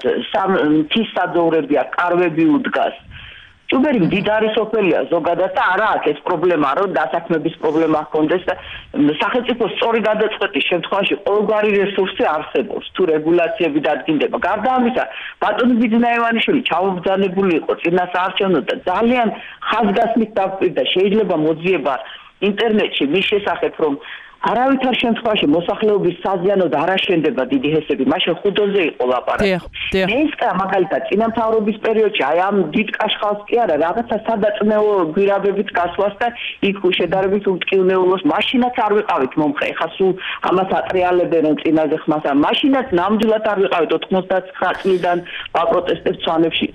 მთის საძოვრებია, კარვები უდგას. ჭუბერი მდიდარი სოფელია ზოგადად და არა აქვს ეს პრობლემა, რომ დასაქმების პრობლემა ჰქონდეს და სახელმწიფოს სწორი გადაწყვეტის შემთხვევაში ყოველგვარი რესურსი არსებობს, თუ რეგულაციები დადგინდება. გარდა ამისა, ბატონი ბიძნაევანიშვილი ჩამობრძანებული იყო წინა საარჩევნოდ და ძალიან ხაზგასმით დაგვირდა შეიძლება მოძიება ინტერნეტში მის შესახებ, რომ არავითარ შემთხვევაში მოსახლეობის საზიანოდ არ აშენდება დიდი ჰესები, მაშინ ხუდოზე იყო ლაპარაკი. ნესკა მაგალითად წინამთავრობის პერიოდში აი ამ დიდ კაშხალს კი არა, რაღაცა სადაწნეო გვირაბებით გასვლას და იქ შედარებით უტკივნეულოს მაშინაც არ ვიყავით მომხრე. ეხლა სულ ამას ატრიალებენ რომ წინაზე ხმას ამ მაშინაც ნამდვილად არ ვიყავით 99 წლიდან ვაპროტესტებთ სვანეთში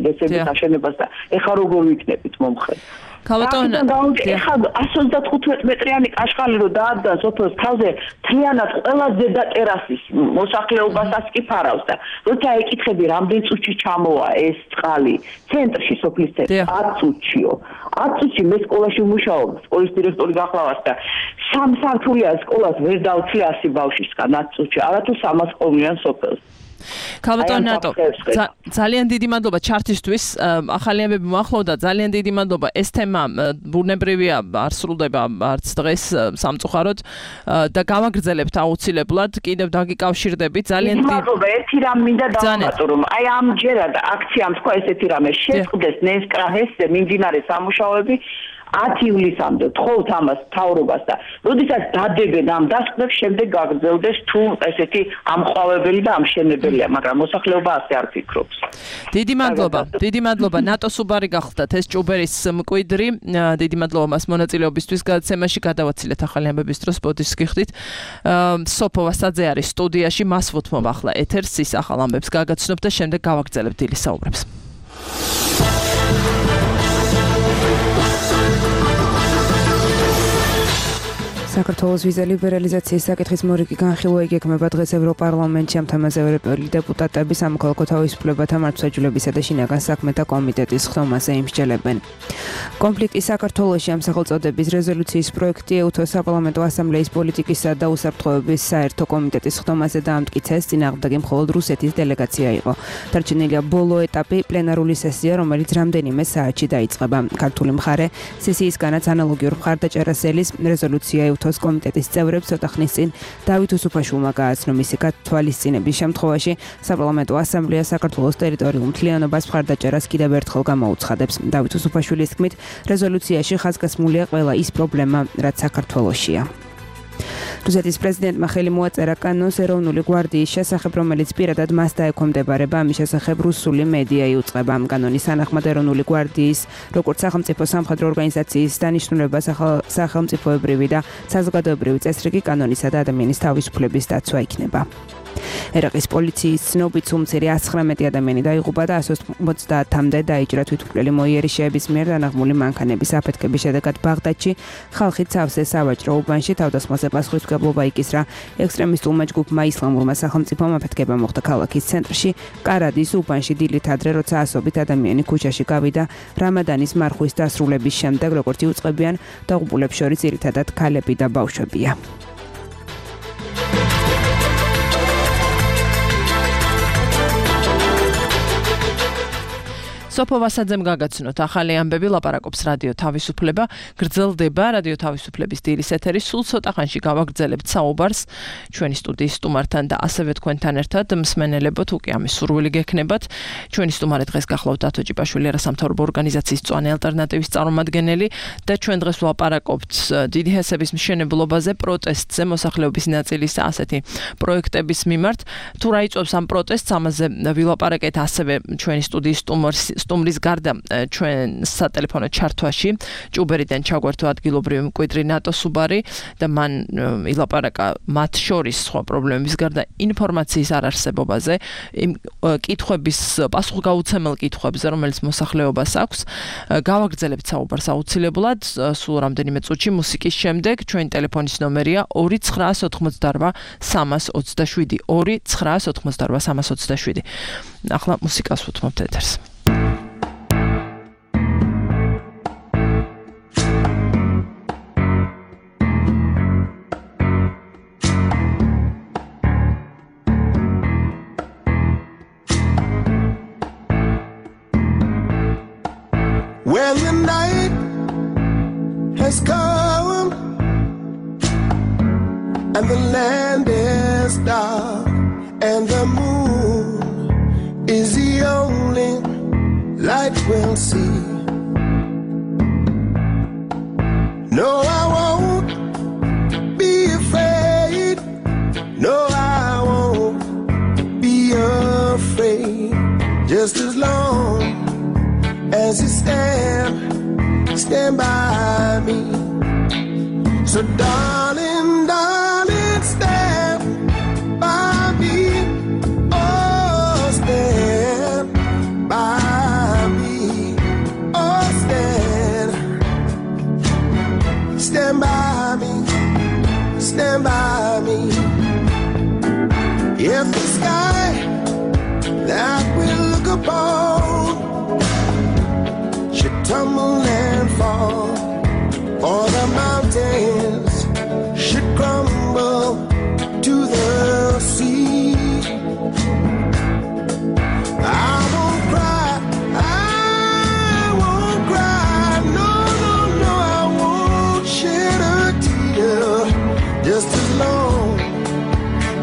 ჰესების აშენებას და ეხლა როგორ ვიქნებით მომხრე. ქალბატონო, ეხლა 135 მეტრიანი კაშხალი რო დაადგა სოფელს თავზე, მთლიანად ყველა ზედა ტერასის მოსახლეობასაც კი ფარავს და როცა ეკითხები რამდენ წუთში ჩამოვა ეს წყალი ცენტრში სოფლის ცენტრში 10 წუთშიო. 10 წუთში მე სკოლაში ვმუშაობ, სკოლის დირექტორი გახლავართ და 3 სართულია სკოლას ვერ დავცლი 100 ბავშვისგან 10 წუთში, არათუ 300 ყოლიან სოფელს. ქალბატონო ნატო, ძალიან დიდი მადლობა ჩარტისთვის. ახალი ამბები მოახლოვდა, ძალიან დიდი მადლობა. ეს თემა ბუნებრივია, არ სრულდება არც დღეს სამწუხაროდ და გავაგრძელებთ აუცილებლად. კიდევ დაგიკავშირდებით. ძალიან დიდი მადლობა. ერთი რამ მინდა დავამატო, რომ აი ამჯერად აქციამ თქვა ესეთი რამე შეწყდეს ნესკრაჰესზე მიმდინარე სამუშაოები 10 ივლისამდე თხოვთ ამას მთავრობას და როდესაც დადებენ ამ დასკვნებს, შემდეგ გაგრძელდეს თუ ესეთი ამყვავებელი და ამშენებელია, მაგრამ მოსახლეობა ასე არ ფიქრობს. დიდი მადლობა. ნატო სუბარი გახლდათ ეს ჭუბერის მკვიდრი. დიდი მადლობა მას მონაწილეობისთვის გადაცემაში. გადავაცილეთ ახალი ამბების დროს, ბოდიშს გიხდით. სოფო ვასაძე არის სტუდიაში, მას ვუთმობ ახლა ეთერს, ის ახალ ამბებს გაგაცნობ და შემდეგ გავაგრძელებთ დილის საუბრებს. საქართველოს ვიზა ლიბერალიზაციის საკითხის მორიგი განხილვა იგეგმება დღეს ევროპარლამენტში. ამ თემაზე ევროპელი დეპუტატები სამოქალაქო თავისუფლებათა მართლმსაჯულებისა და შინაგან საქმეთა კომიტეტის ხდომაზე იმსჯელებენ. კონფლიქტი საქართველოში ამ სახელწოდების რეზოლუციის პროექტი ეუთოს საპარლამენტო ასამბლეის პოლიტიკისა და უსაფრთხოების საერთო კომიტეტის ხდომაზე დაამტკიცეს. წინააღმდეგი მხოლოდ რუსეთის დელეგაცია იყო. დარჩენილია ბოლო ეტაპი, პლენარული სესია, რომელიც რამდენიმე საათში დაიწყება. ქართული მხარე სესიისგანაც ანალოგიურ მხარდაჭერას ელის. რეზოლუცია ეუთოს კომიტეტის წევრებს ცოტა ხნის წინ დავით უსუფაშვილმა გააცნო. მისი გათვალისწინების შემთხვევაში საპარლამენტო ასამბლეა საქართველოს ტერიტორიულ მთლიანობას მხარდაჭერას კიდევ ერთხელ გამოუცხადებს. დავით უსუფაშვილის თქმით, რეზოლუციაში ხაზგასმულია ყველა ის პრობლემა, რაც საქართველოშია. რუსეთის პრეზიდენტმა ხელი მოაწერა კანონს ეროვნული გვარდიის შესახებ, რომელიც პირადად მას დაექვემდებარება. ამის შესახებ რუსული მედია იუწყება. ამ კანონის თანახმად ეროვნული გვარდიის, როგორც სახელმწიფო სამხედრო ორგანიზაციის დანიშნულება სახელმწიფოებრივი და საზოგადოებრივი წესრიგი კანონისა და ადამიანის თავისუფლების დაცვა იქნება. ერაყის პოლიციის ცნობით სულ მცირე 119 ადამიანი დაიღუპა და 150-მდე დაიჭრა თვითმკვლელი მოიერიშეების მიერ დანაღმული მანქანების აფეთქების შედეგად ბაღდადში ხალხი სავსე სავაჭრო უბანში თავდასხმაზე პასუხისმგებლობა იკისრა. ექსტრემისტულმა ჯგუფმა ისლამურმა სახელმწიფომ აფეთქება მოხდა ქალაქის ცენტრში კარადის უბანში დილით ადრე, როცა ასობით ადამიანი ქუჩაში გავიდა რამადანის მარხვის დასრულების შემდეგ. როგორც იუწყებიან, დაღუპულებს შორის ძირითადად ქალები და ბავშვებია. სოფო ვასაძემ გაგაცნოთ ახალი ამბები ლაპარაკობს რადიო თავისუფლება გრძელდება რადიო თავისუფლების დილის ეთერი სულ ცოტა ხანში გავაგრძელებთ საუბარს ჩვენი სტუდიის სტუმართან და ასევე თქვენთან ერთად მსმენელებო თუ კი ამის სურვილი გექნებათ ჩვენი სტუმარი დღეს გახლავთ დათო ჭიპაშვილი არასამთავრობო ორგანიზაციის მწვანე ალტერნატივის წარმომადგენელი და ჩვენ დღეს ვლაპარაკობთ დიდი ჰესების მშენებლობაზე პროტესტზე მოსახლეობის ნაწილის ასეთი პროექტების მიმართ თუ რა იწვევს ამ პროტესტს ამაზე ვილაპარაკეთ ასევე ჩვენი სტუდიის სტუმრის გარდა ჩვენ სატელეფონო ჩართვაში ჭუბერიდან ჩაგვერთო ადგილობრივი მკვიდრი ნატო სუბარი და მან ილაპარაკა მათ შორის სხვა პრობლემების გარდა ინფორმაციის არარსებობაზე იმ კითხვების პასუხგაუცემელ კითხვებზე რომელიც მოსახლეობას აქვს გავაგრძელებთ საუბარს აუცილებლად სულ რამდენიმე წუთში მუსიკის შემდეგ ჩვენი ტელეფონის ნომერია 2988 327 2988 327 ახლა მუსიკას ვუთმობთ ეთერს When the night has come and the land is dark and the moon is the only light we'll see. No, I won't be afraid. No, I won't be afraid. Just as long as you stand by me. So darling, darling, stand by me. Oh, stand by me. Oh, stand by me. Stand by me. If the sky that we look upon should tumble and fall, or the mountains should crumble to the sea, I won't cry, no, no, no, I won't shed a tear, just as long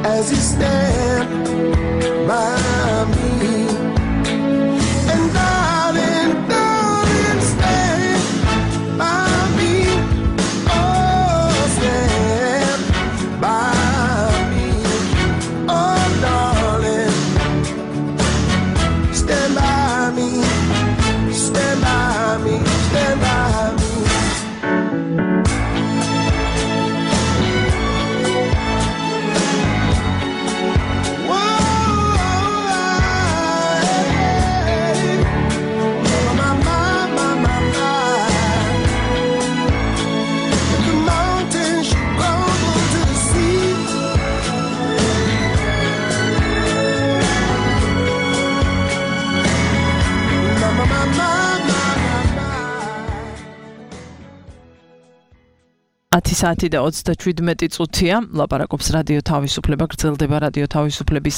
as you stand by me. საათი და 37 წუთია ლაპარაკობს რადიო თავისუფლება გრძელდება რადიო თავისუფლების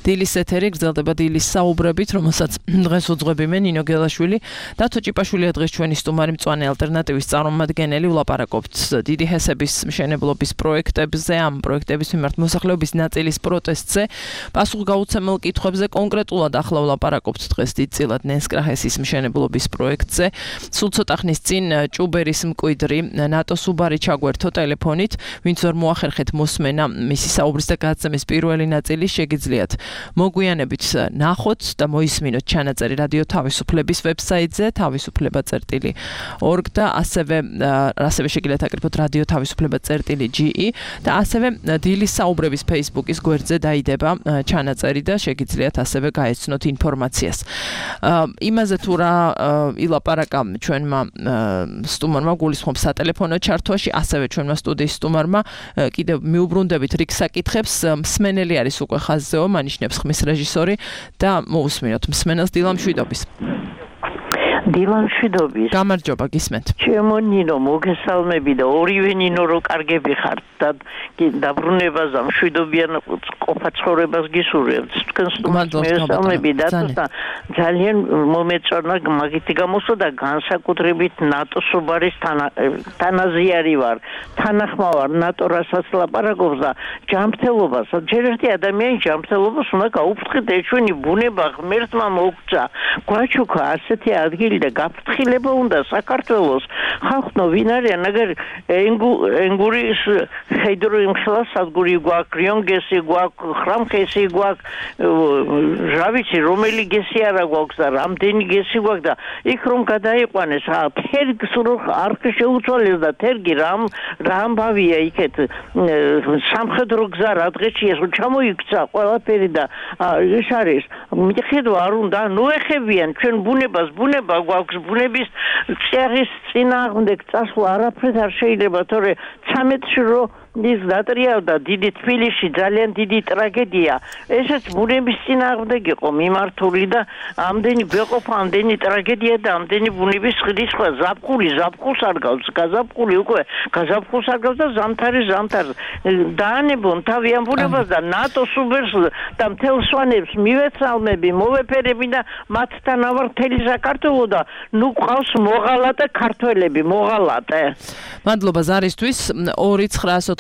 დილის ეთერი გრძელდება დილის საუბრებით რომელსაც დღეს უძღვები მე ნინო გელაშვილი დათო ჭიპაშვილია დღეს ჩვენი სტუმარი მწვანე ალტერნატივის წარმომადგენელი ვლაპარაკობთ დიდი ჰესების მშენებლობის პროექტებზე ამ პროექტების მიმართ მოსახლეობის ნაწილის პროტესტზე პასუხგაუცემელ კითხვებზე კონკრეტულად ახლა ვლაპარაკობთ დღეს დიდწილად ნენსკრაჰესის მშენებლობის პროექტზე სულ ცოტა ხნის წინ ჭუბერის მკვიდრი ნატო სუბარი ჩაგვერთო ტელეფონით, ვინც ვერ მოახერხეთ მოსმენა მისი საუბრის და გადაცემის პირველი ნაწილი შეგიძლიათ მოგვიანებით ნახოთ და მოისმინოთ ჩანაწერი რადიო თავისუფლების ვებსაიტზე თავისუფლება.org და ასევე შეგიძლიათ აკრიფოთ რადიო თავისუფლება.ge და ასევე დილის საუბრების Facebook-ის გვერდზე დაიდება ჩანაწერი და შეგიძლიათ ასევე გაეცნოთ ინფორმაციას. იმაზე თუ რა ილაპარაკა ჩვენმა სტუმარმა გულისხმობს სატელეფონო ჩართვაში ასევე ჩვენმა სტუდიის სტუმარმა კიდევ მიუბრუნდებით რიგ საკითხებს მსმენელი არის უკვე ხაზზეო მანიშნებს ხმის რეჟისორი და მოусმინოთ მსმენელს დილამშვიდობის დილამშვიდობის. გამარჯობა, გისმენთ. ჩემო ნინო, მოგესალმები და ორივე ნინო რო კარგები ხართ და დაბრუნებას და მშვიდობიან ყოფა ცხოვრებას გისურვებთ. თქვენს მოგესალმები და ძალიან მომეწონა მაგითი გამოსო და განსაკუთრებით ნატოს უბარის თანაზიარი ვარ. თანახმა ვარ ნატო რასაც ლაპარაკობს და ჯანმრთელობას, ჯერ ერთი ადამიანის ჯანმრთელობას უნდა გაუფრთხილდეთ. ჩვენი ბუნება ღმერთმა მოგცა. გვაჩუქა ასეთი ადგილი და გაფრთხილება უნდა საქართველოს ხალხო ვინ არიან აგერ ენგურის ჰიდროიმხლა სადგური გვაქვს რიონგესი გვაქვს ხრამხესი გვაქვს რა ვიცი რომელი გესი არა გვაქვს და რამდენი გესი გვაქვს და იქ რომ გადაიყვანეს თერგს რო არ შეუცვალეს და თერგი რამ ამბავია იქეთ სამხედრო გზა რა დღეში ეს ჩამოიქცა ყველაფერი და ის არის მიხედვა არ უნდა ნოეხებიან ჩვენ ბუნებას ბუნება გვაქვს ბუნების წერის წინააღმდეგ წასვლა არაფრით არ შეიძლება თორე 13-ში რო ის დატრიალდა დიდი თბილისში ძალიან დიდი ტრაგედია ესეც ბუნების წინააღმდეგ იყო მიმართული და ამდენი გვეყოფა ამდენი ტრაგედია და ამდენი ბუნების ხდისხვა ზაფხულს არ გავს გაზაფხული უკვე გაზაფხულს არ გავს და ზამთარი დაანებონ თავიან ბუნებას და ნატოს უბერს და მთელ სვანებს მივეცალმები მოვეფერები და მათთან ავარ მთელი საქართველო და ნუ ყავს მოღალატე ქართველები მოღალატე მადლობა ზარისთვის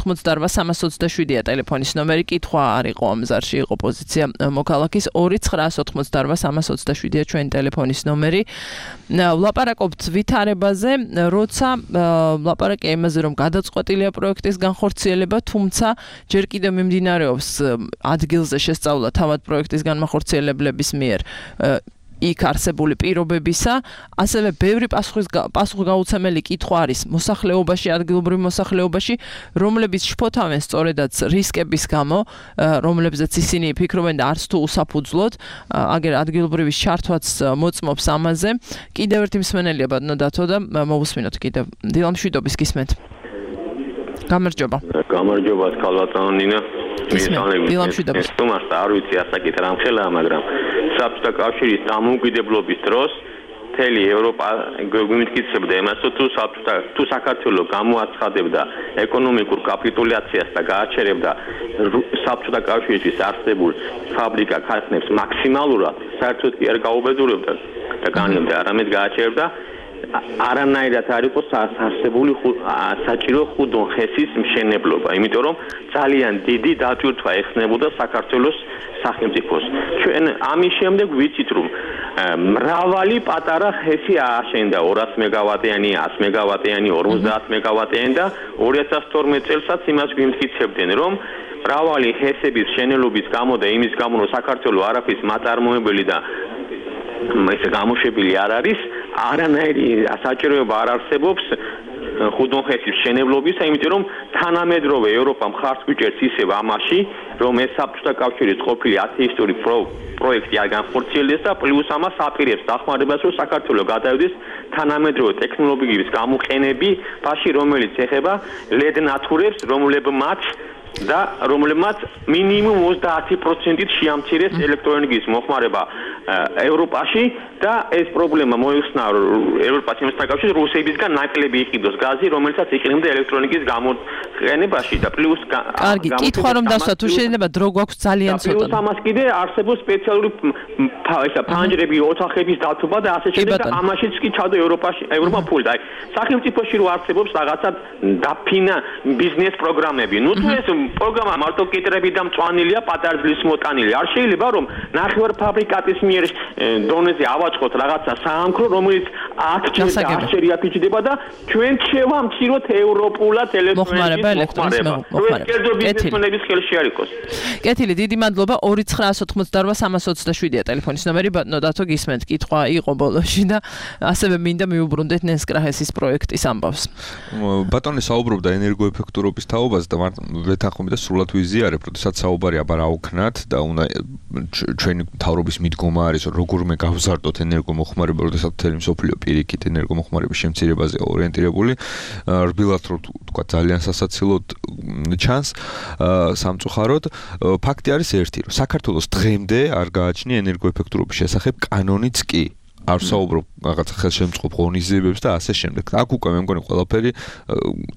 2988327-ია ტელეფონის ნომერი კითხვა არ იყო ამ ზარში იყო პოზიცია მოქალაქის 2988327-ია ჩვენი ტელეფონის ნომერი ვლაპარაკობთ ვითარებაზე როცა ვლაპარაკე იმაზე რომ გადაწყვეტილია პროექტის განხორციელება თუმცა ჯერ კიდევ მიმდინარეობს ადგილზე შესწავლა თავად პროექტის განმახორციელებლების მიერ იქ არსებული პირობებისა, ასევე ბევრი პასუხგაუცემელი კითხვა არის მოსახლეობაში, ადგილობრივ მოსახლეობაში, რომლებიც შფოთავენ სწორედაც რისკების გამო, რომლებზეც ისინი ფიქრობენ და არც თუ უსაფუძვლოდ, აგერ ადგილობრივის ჩართვაც მოწმობს ამაზე. კიდევ ერთი მსმენელია ბატონო დათო და მოვუსმინოთ კიდევ. დილამშვიდობის გისმენთ. გამარჯობა. გამარჯობა, ქალბატონო ნინა. დილამშვიდობის. თუმცა არ ვიცი ასაკით რამ ხელაა, მაგრამ საბჭოთა კავშირის დამოუკიდებლობის დროს მთელი ევროპა გვიმტკიცებდა იმას, თუ საქართველო გამოაცხადებდა ეკონომიკურ კაპიტულაციას და გააჩერებდა საბჭოთა კავშირის არსებულ ფაბრიკა ქარხნებს მაქსიმალურად, საერთოდ კი არ გაუბედურებდა და განლებდა, არამედ გააჩერებდა არანაირად არ იყო არსებული საჭირო ხუდონხესის მშენებლობა, იმიტომ რომ ძალიან დიდი დატვირთვა ეხნებოდა საქართველოს სახელმწიფოს. ჩვენ ამის შემდეგ ვიცით რომ მრავალი პატარა ხესი ააშენდა 200 მეგავატიანი, 100 მეგავატიანი, 50 მეგავატიანი და 2012 წელსაც იმას გვიმტკიცებდნენ რომ მრავალი ხესების შენელობის გამო და იმის გამო რომ საქართველოს არაფრის მაწარმოებელი და ეს გამოშვებული არ არის არანაირი საჭიროება არ არსებობს ხუდონხესის მშენებლობისა, იმიტომ რომ თანამედროვე ევროპა მხარს გვიჭერს ისევ ამაში, რომ ეს საბჭოთა კავშირის ყოფილი ათეისტური პროექტი არ განხორციელდეს და პლუს ამას აპირებს დახმარებას, რომ საქართველო გადავიდეს თანამედროვე ტექნოლოგიების გამოყენებაში, რომელიც ეხება LED ნათურებს, რომლებმაც მინიმუმ 30%-ით შეამცირეს ელექტროენერგიის მოხმარება ევროპაში და ეს პრობლემა მოიხსნა ევროპას იმასთან რუსებისგან ნაკლები იყიდოს გაზი, რომელსაც იყენებდა ელექტროენერგიის გამოყენებაში და პლუს კარგი, კითხვა რომ დასვა, თუ შეიძლება დრო გვაქვს ძალიან ცოტა. პლუს ამას კიდე არსებობს სპეციალური ფანჯრები, ოთახების დათობა და ასე შემდეგ და ამაშიც კი ჩადო ევროპა ფული. აი, სახელმწიფოში რო არსებობს რაღაცა დაფინა ბიზნეს პროგრამები. ნუ თუ ეს პროგრამა მარტო კიტრები და მწვანილია, პატარძლის მოტანილი. არ შეიძლება რომ ნახევარფაბრიკატის მიერ დონეზე ავაწყოთ რაღაცა საამქრო, რომელიც 10-ჯერ აფიჭდება და ჩვენ შევამციროთ ევროპულად ელექტროენერგიის მოხმარება. კერძო ბიზნესმენების ხელში არ იყოს. კეთილი, დიდი მადლობა. 2988327-ია ტელეფონის ნომერი, ბატონო დათო გისმენთ, კითხვა იყო ბოლოში და ასევე მინდა მიუბრუნდეთ ნენსკრაჰესის პროექტის ამბავს. ბატონი საუბრობდა ენერგოეფექტურობის თაობაზე და ვეთანხმები და სრულად ვიზიარებ, როდესაც საუბარი აბა აუქნათ და უნდა ჩვენი მთავრობის მიდგომა არის, რომ როგორმე გავზარდოთ ენერგომოხმარება, როდესაც მთელი მსოფლიო პირიქით ენერგომოხმარების შემცირებაზე ორიენტირებული, რბილად რომ თქვა ძალიან სასაცილოდ ჩანს სამწუხაროდ. ფაქტი არის ერთი, რომ საქართველოს დღემდე არ გააჩნია ენერგოეფექტურობის შესახებ კანონიც კი. არ საუბრობ რაღაცა ხელშემწყობ ღონისძიებებს და ასე შემდეგ. აქ უკვე მე მგონი ყველაფერი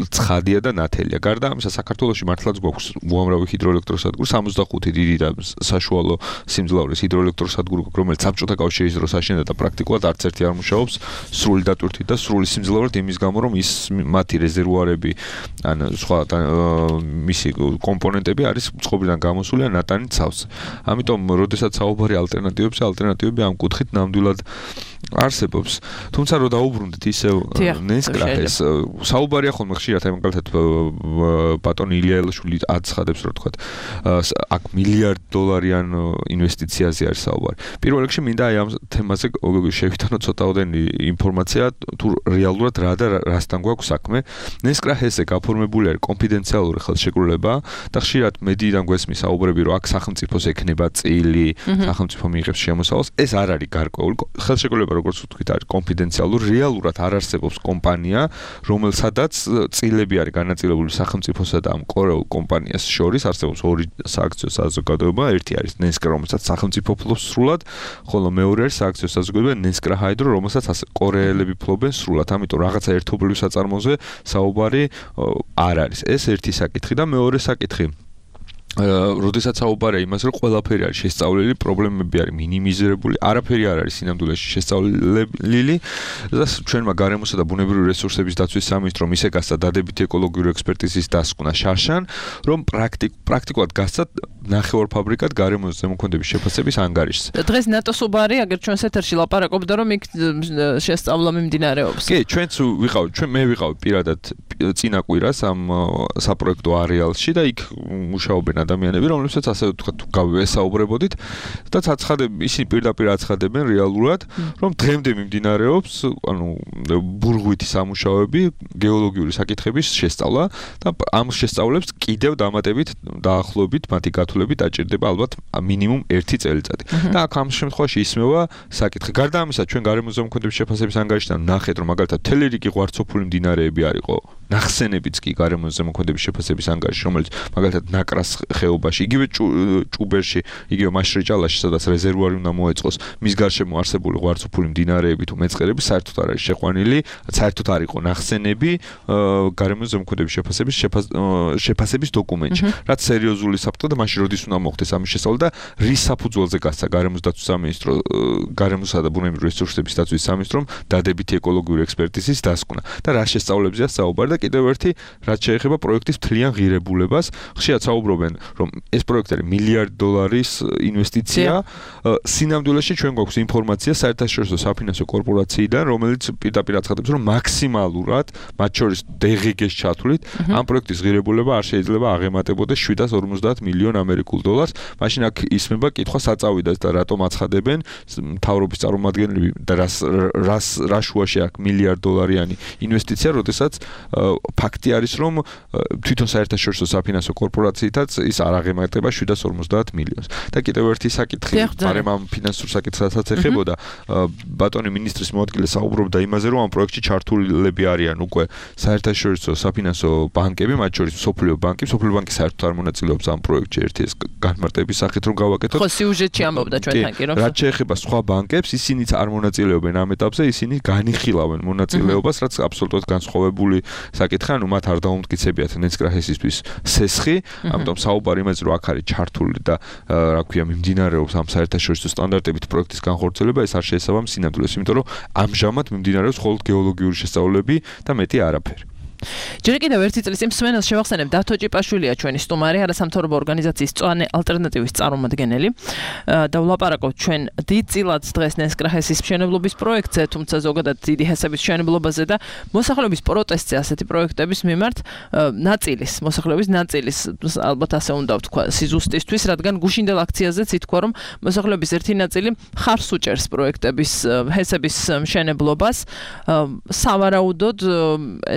ცხადია და ნათელია. გარდა ამისა, საქართველოში მართლაც გვაქვს უამრავი ჰიდროელექტროსადგური, 65 დიდი და საშუალო სიმძლავრის ჰიდროელექტროსადგური, რომელიც საბჭოთა კავშირის დროს აშენდა და პრაქტიკულად არც ერთი არ მუშაობს სრული დატვირთვით და სრული სიმძლავრით იმის გამო, რომ ის მათი რეზერვუარები ან სხვა მისი კომპონენტები არის წყობიდან გამოსული ან ნატანი ცავს. ამიტომ, როდესაც საუბარი ალტერნატივები ამ კუთხით ნამდვილად არსებობს. თუმცა რო დაუბრუნდით ისევ ნესკრახეს, საუბარია ხოლმე ხშირად აი მაგალითად ბატონი ილია ელაშვილი აცხადებს, რომ თქვა აქ $1 მილიარდ ინვესტიციაზე არის საუბარი. პირველ რიგში მინდა აი ამ თემაზე შევიტანოთ ცოტაოდენი ინფორმაცია, თუ რეალურად რა და რასთან გვაქვს საქმე. ნესკრახესზე გაფორმებული არის კონფიდენციალური ხელშეკრულება და ხშირად მედიიდან გვესმის საუბრები, რომ აქ სახელმწიფოს ექნება წილი, სახელმწიფო მიიღებს შემოსავალს. ეს არ არის გარკვეული ხელშეკრულება, როგორც ვთქვით, არის კონფიდენციალური, რეალურად არ არსებობს კომპანია, რომელსადაც წილები არის განაწილებული სახელმწიფოსა და ამ კორეულ კომპანიას შორის, არსებობს ორი სააქციო საზოგადოება, ერთი არის ნესკრა, რომელსაც სახელმწიფო ფლობს სრულად, ხოლო მეორე არის სააქციო საზოგადოება ნესკრა ჰაიდრო, რომელსაც კორეელები ფლობენ სრულად, ამიტომ რაღაცა ერთობლივ საწარმოზე საუბარი არ არის. ეს ერთი საკითხი და მეორე საკითხი როდესაც საუბარია იმას, რომ ყველაფერი არის შესწავლილი, პრობლემები არის მინიმიზირებული, არაფერი არ არის სინამდვილეში შესწავლილი და ჩვენმა გარემოსა და ბუნებრივი რესურსების დაცვის სამინისტრომ ისე გასცა დადებითი ეკოლოგიური ექსპერტიზის დასკვნა შარშან, რომ პრაქტიკულად გასცა ნახევარფაბრიკად გარემოს ზემოქმედების შეფასების ანგარიშს. დღეს ნატოს უბარი, აგერ ჩვენს ეთერში ლაპარაკობდა, რომ იქ შესწავლა მიმდინარეობს. კი, მე ვიყავ პირადად წინა კვირას ამ საპროექტო არეალში და იქ მუშაობენ ადამიანები, რომლებსაც ასე ვთქვათ, გავესაუბრებოდით და ისინი პირდაპირ აცხადებენ რეალურად, რომ დღემდე მიმდინარეობს, ბურღვითი სამუშაოები, გეოლოგიური საკითხების შესწავლა და ამ შესწავლებს კიდევ დამატებით დაახლოებით მათი გათვლებით დაჭირდება ალბათ მინიმუმ 1 წელიწადი. და აქ ამ შემთხვევაში ისმევა საკითხი. გარდა ამისა, ჩვენ გარემოს ზემოქმედების შეფასების ანგარიშიდან ნახეთ, რომ მაგალითად მთელი რიგი ღვარცოფული მდინარეები არისო, ნახსენებიც კი გარემოს ზემოქმედების შეფასების ანგარიში, რომელიც მაგალითად ნაკრას ხეობაში, იგივე ჭუბერში, იგივე მაშრეჭალაში, სადაც რეზერვუარი უნდა მოეწყოს, მის გარშემო არსებული ღვარცოფული მდინარეები თუ მეწყერები საერთოდ არ არის შეყვანილი, საერთოდ არ იყო ნახსენები გარემოს ზემოქმედების შეფასების დოკუმენტში. რაც სერიოზული საფრთხე და მაშინ როდის უნდა მოხდეს ამის შესწავლა და რის საფუძველზე გასცა გარემოს დაცვის სამინისტრო, გარემოსა და ბუნებრივი რესურსების დაცვის სამინისტრომ დადებითი ეკოლოგიური ექსპერტიზის დასკვნა და რა შესწავლებზეა საუბარი და კიდევ ერთი, რაც შეეხება პროექტის მთლიან ღირებულებას, ხშირად საუბრობენ, რომ ეს პროექტი არის $1 მილიარდ ინვესტიცია. სინამდვილეში ჩვენ გვაქვს ინფორმაცია საერთაშორისო საფინანსო კორპორაციიდან, რომელიც პირდაპირ აცხადებს, რომ მაქსიმალურად, მათ შორის DGG-ს ჩათვლით, ამ პროექტის ღირებულება არ შეიძლება აღემატებოდეს $750 მილიონ ამერიკულ. მაშინ აქ ისმება კითხვა საწავიდას და რატომ აცხადებენ მთავრობის წარმომადგენლები და რა შუაში აქ $1 მილიარდ ინვესტიცია, როდესაც ფაქტი არის, რომ თვითონ საერთაშორისო საფინანსო კორპორაციითაც ის არ აღემატება $750 მილიონს. და კიდევ ერთი საკითხი, მაგრამ ამ ფინანსურ საკითხსაც ეხებოდა, ბატონი მინისტრის მოადგილე საუბრობდა იმაზე, რომ ამ პროექტში ჩართულები არიან უკვე საერთაშორისო საფინანსო ბანკები, მათ შორის მსოფლიო ბანკი საერთოდ არ მონაწილეობს ამ პროექტში ერთი ეს განმარტების სახით რომ გავაკეთოთ. ხო, სიუჟეტში ამბობდა ჩვენთან კი რომ რაც შეეხება სხვა ბანკებს, ისინიც არ მონაწილეობენ ამ ეტაპზე, ისინი განიხილავენ მონაწილეობას, რაც აბსოლუტურად განსხვავებული საკითხია, ანუ მათ არ დაუმტკიცებიათ ნესკრახესისთვის სესხი, ამიტომ საუბარი იმაზე, რომ აქ არის ჩართული და რა ქვია, მიმდინარეობს ამ საერთაშორისო სტანდარტებით პროექტის განხორციელება, ეს არ შეესაბამება სინამდვილეს, იმიტომ რომ ამჟამად მიმდინარეობს მხოლოდ გეოლოგიური შესწავლები და მეტი არაფერი. ჯერ კიდევ ერთი წლის მსმენელს შევახსენებ, დათო ჭიპაშვილია ჩვენი სტუმარი, არასამთავრობო ორგანიზაციის წვანე ალტერნატივის წარმომადგენელი და ვლაპარაკობთ ჩვენ დიდწილად დღეს ნესკრახესის მშენებლობის პროექტზე, თუმცა ზოგადად დიდი ჰესების მშენებლობაზე და მოსახლეობის პროტესტზე ასეთი პროექტების მიმართ მოსახლეობის ნაწილის, ალბათ ასე უნდა ვთქვა, სიზუსტისთვის, რადგან გუშინდელ აქციაზეც ითქვა, რომ მოსახლეობის ერთი ნაწილი ხარს უჭერს პროექტების ჰესების მშენებლობას, სავარაუდოდ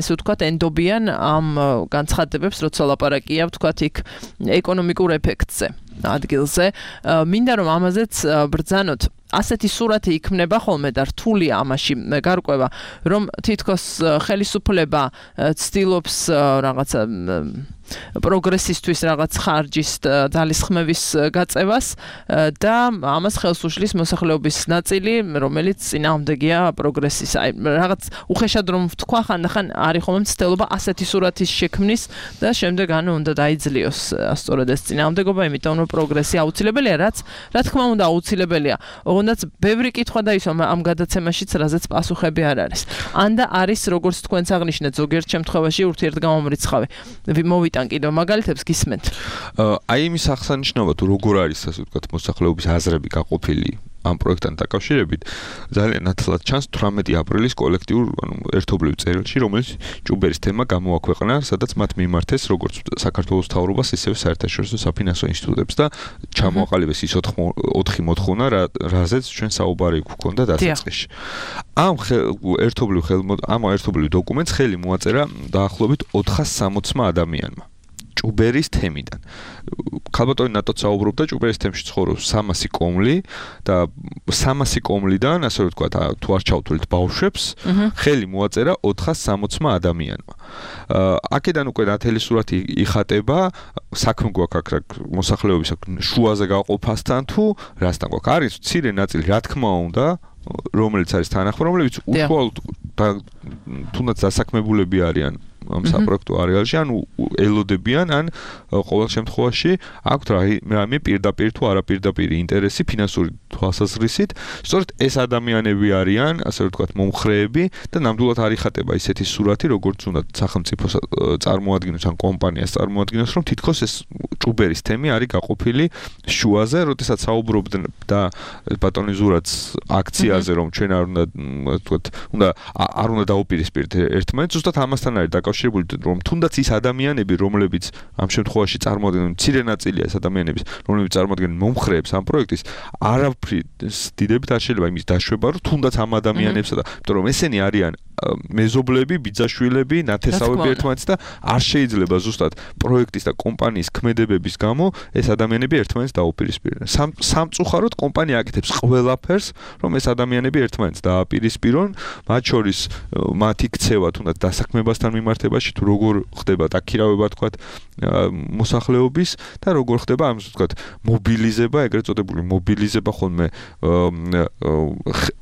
ესე ვთქვათ ენდობიან ამ განცხადებებს, როცა ლაპარაკია, ვთქვათ, იქ ეკონომიკურ ეფექტზე ადგილზე. მინდა რომ ამაზეც ბრძანოთ. ასეთი სურათი იქმნება ხოლმე და რთულია ამაში გარკვევა, რომ თითქოს ხელისუფლება ცდილობს რაღაცა პროგრესისთვის რაღაც ხარჯის ძალისხმევის გაწევას და ამას ხელს უშლის მოსახლეობის ნაწილი, რომელიც წინააღმდეგია პროგრესის. აი რაღაც უხეშად რომ ვთქვა, ხანდახან არის ხომ მცდელობა ასეთი სურათის შექმნის და შემდეგ უნდა დაიძლიოს სწორედ ეს წინააღმდეგობა, იმიტომ რომ პროგრესი აუცილებელია, რა თქმა უნდა აუცილებელია. ოღონდ ბევრი კითხვა დაისვა ამ გადაცემაშიც, რაზეც პასუხები არ არის. ანდა არის როგორც თქვენც აღნიშნეთ, ზოგიერთ შემთხვევაში ურთიერთგამომრიცხავი. მოვიტან კიდევ მაგალითებს გისმენთ. აი იმის აღსანიშნავად თუ როგორ არის ასე ვთქვათ მოსახლეობის აზრები გაყოფილი ამ პროექტთან დაკავშირებით, ძალიან ნათლად ჩანს 18 აპრილის კოლექტიურ ერთობლივ წერილში, რომელიც ჭუბერის თემა გამოაქვეყნა, სადაც მათ მიმართეს როგორც საქართველოს მთავრობას, ისევე საერთაშორისო საფინანსო ინსტიტუტებს და ჩამოაყალიბეს ის 4 მოთხოვნა, რაზეც ჩვენ საუბარი გვქონდა დასაწყისში. ამ ერთობლივ დოკუმენტს ხელი მოაწერა დაახლოებით 460 ადამიანმა. ჭუბერის თემიდან. ქალბატონი ნატოც საუბრობდა ჭუბერის თემში ცხოვრობს 300 კომლი და 300 კომლიდან, ასე ვთქვათ, თუ არ ჩავთვლით ბავშვებს, ხელი მოაწერა 460 ადამიანმა. აქედან უკვე ნათელი სურათი იხატება, საქმე გვაქვს აქ მოსახლეობის შუაზე გაყოფასთან თუ რასთან გვაქვს. არის მცირე ნაწილი, რა თქმა უნდა, რომელიც არის თანახმად, რომლებიც უშუალოდ თუნდაც დასაქმებულები არიან ამ საპროექტო არეალში, ან ელოდებიან, ან ყოველ შემთხვევაში აქვთ რამე პირდაპირ თუ არაპირდაპირ ინტერესი ფინანსური თვალსაზრისით. სწორედ ეს ადამიანები არიან, ასე ვთქვათ, მომხრეები და ნამდვილად არ იხატება ისეთი სურათი, როგორც უნდა სახელმწიფოს წარმოადგენოს ან კომპანიას წარმოადგენოს, რომ თითქოს ეს ჭუბერის თემი არის გაყოფილი შუაზე, როდესაც საუბრობდნენ და ბატონი ზურაც აქციაზე, რომ ჩვენ არ უნდა დაუპირისპირდეთ ერთმანეთს, ზუსტად ამასთან არის დაკავშირებული, რომ თუნდაც ის ადამიანები, რომლებიც ამ შემთხვევაში წარმოადგენენ მცირე ნაწილია ეს ადამიანების, რომლებიც წარმოადგენენ მომხრეებს ამ პროექტის, არაფრით დიდებით არ შეიძლება იმის დაშვება, რომ თუნდაც ამ ადამიანებსა და იმიტომ რომ ესენი არიან მეზობლები, ბიძაშვილები, ნათესავები ერთმანეთს და არ შეიძლება ზუსტად პროექტის და კომპანიის ქმედებების გამო ეს ადამიანები ერთმანეთს დაუპირისპირონ. სამწუხაროდ კომპანია აკეთებს ყველაფერს, რომ ეს ადამიანები ერთმანეთს დააპირისპირონ, მათ შორის მათი ქცევა თუნდაც დასაქმებასთან მიმართებაში, თუ როგორ ხდება დაქირავება თქვათ მოსახლეობის და როგორ ხდება ამ თქვათ მობილიზება, ეგრეთ წოდებული მობილიზება ხოლმე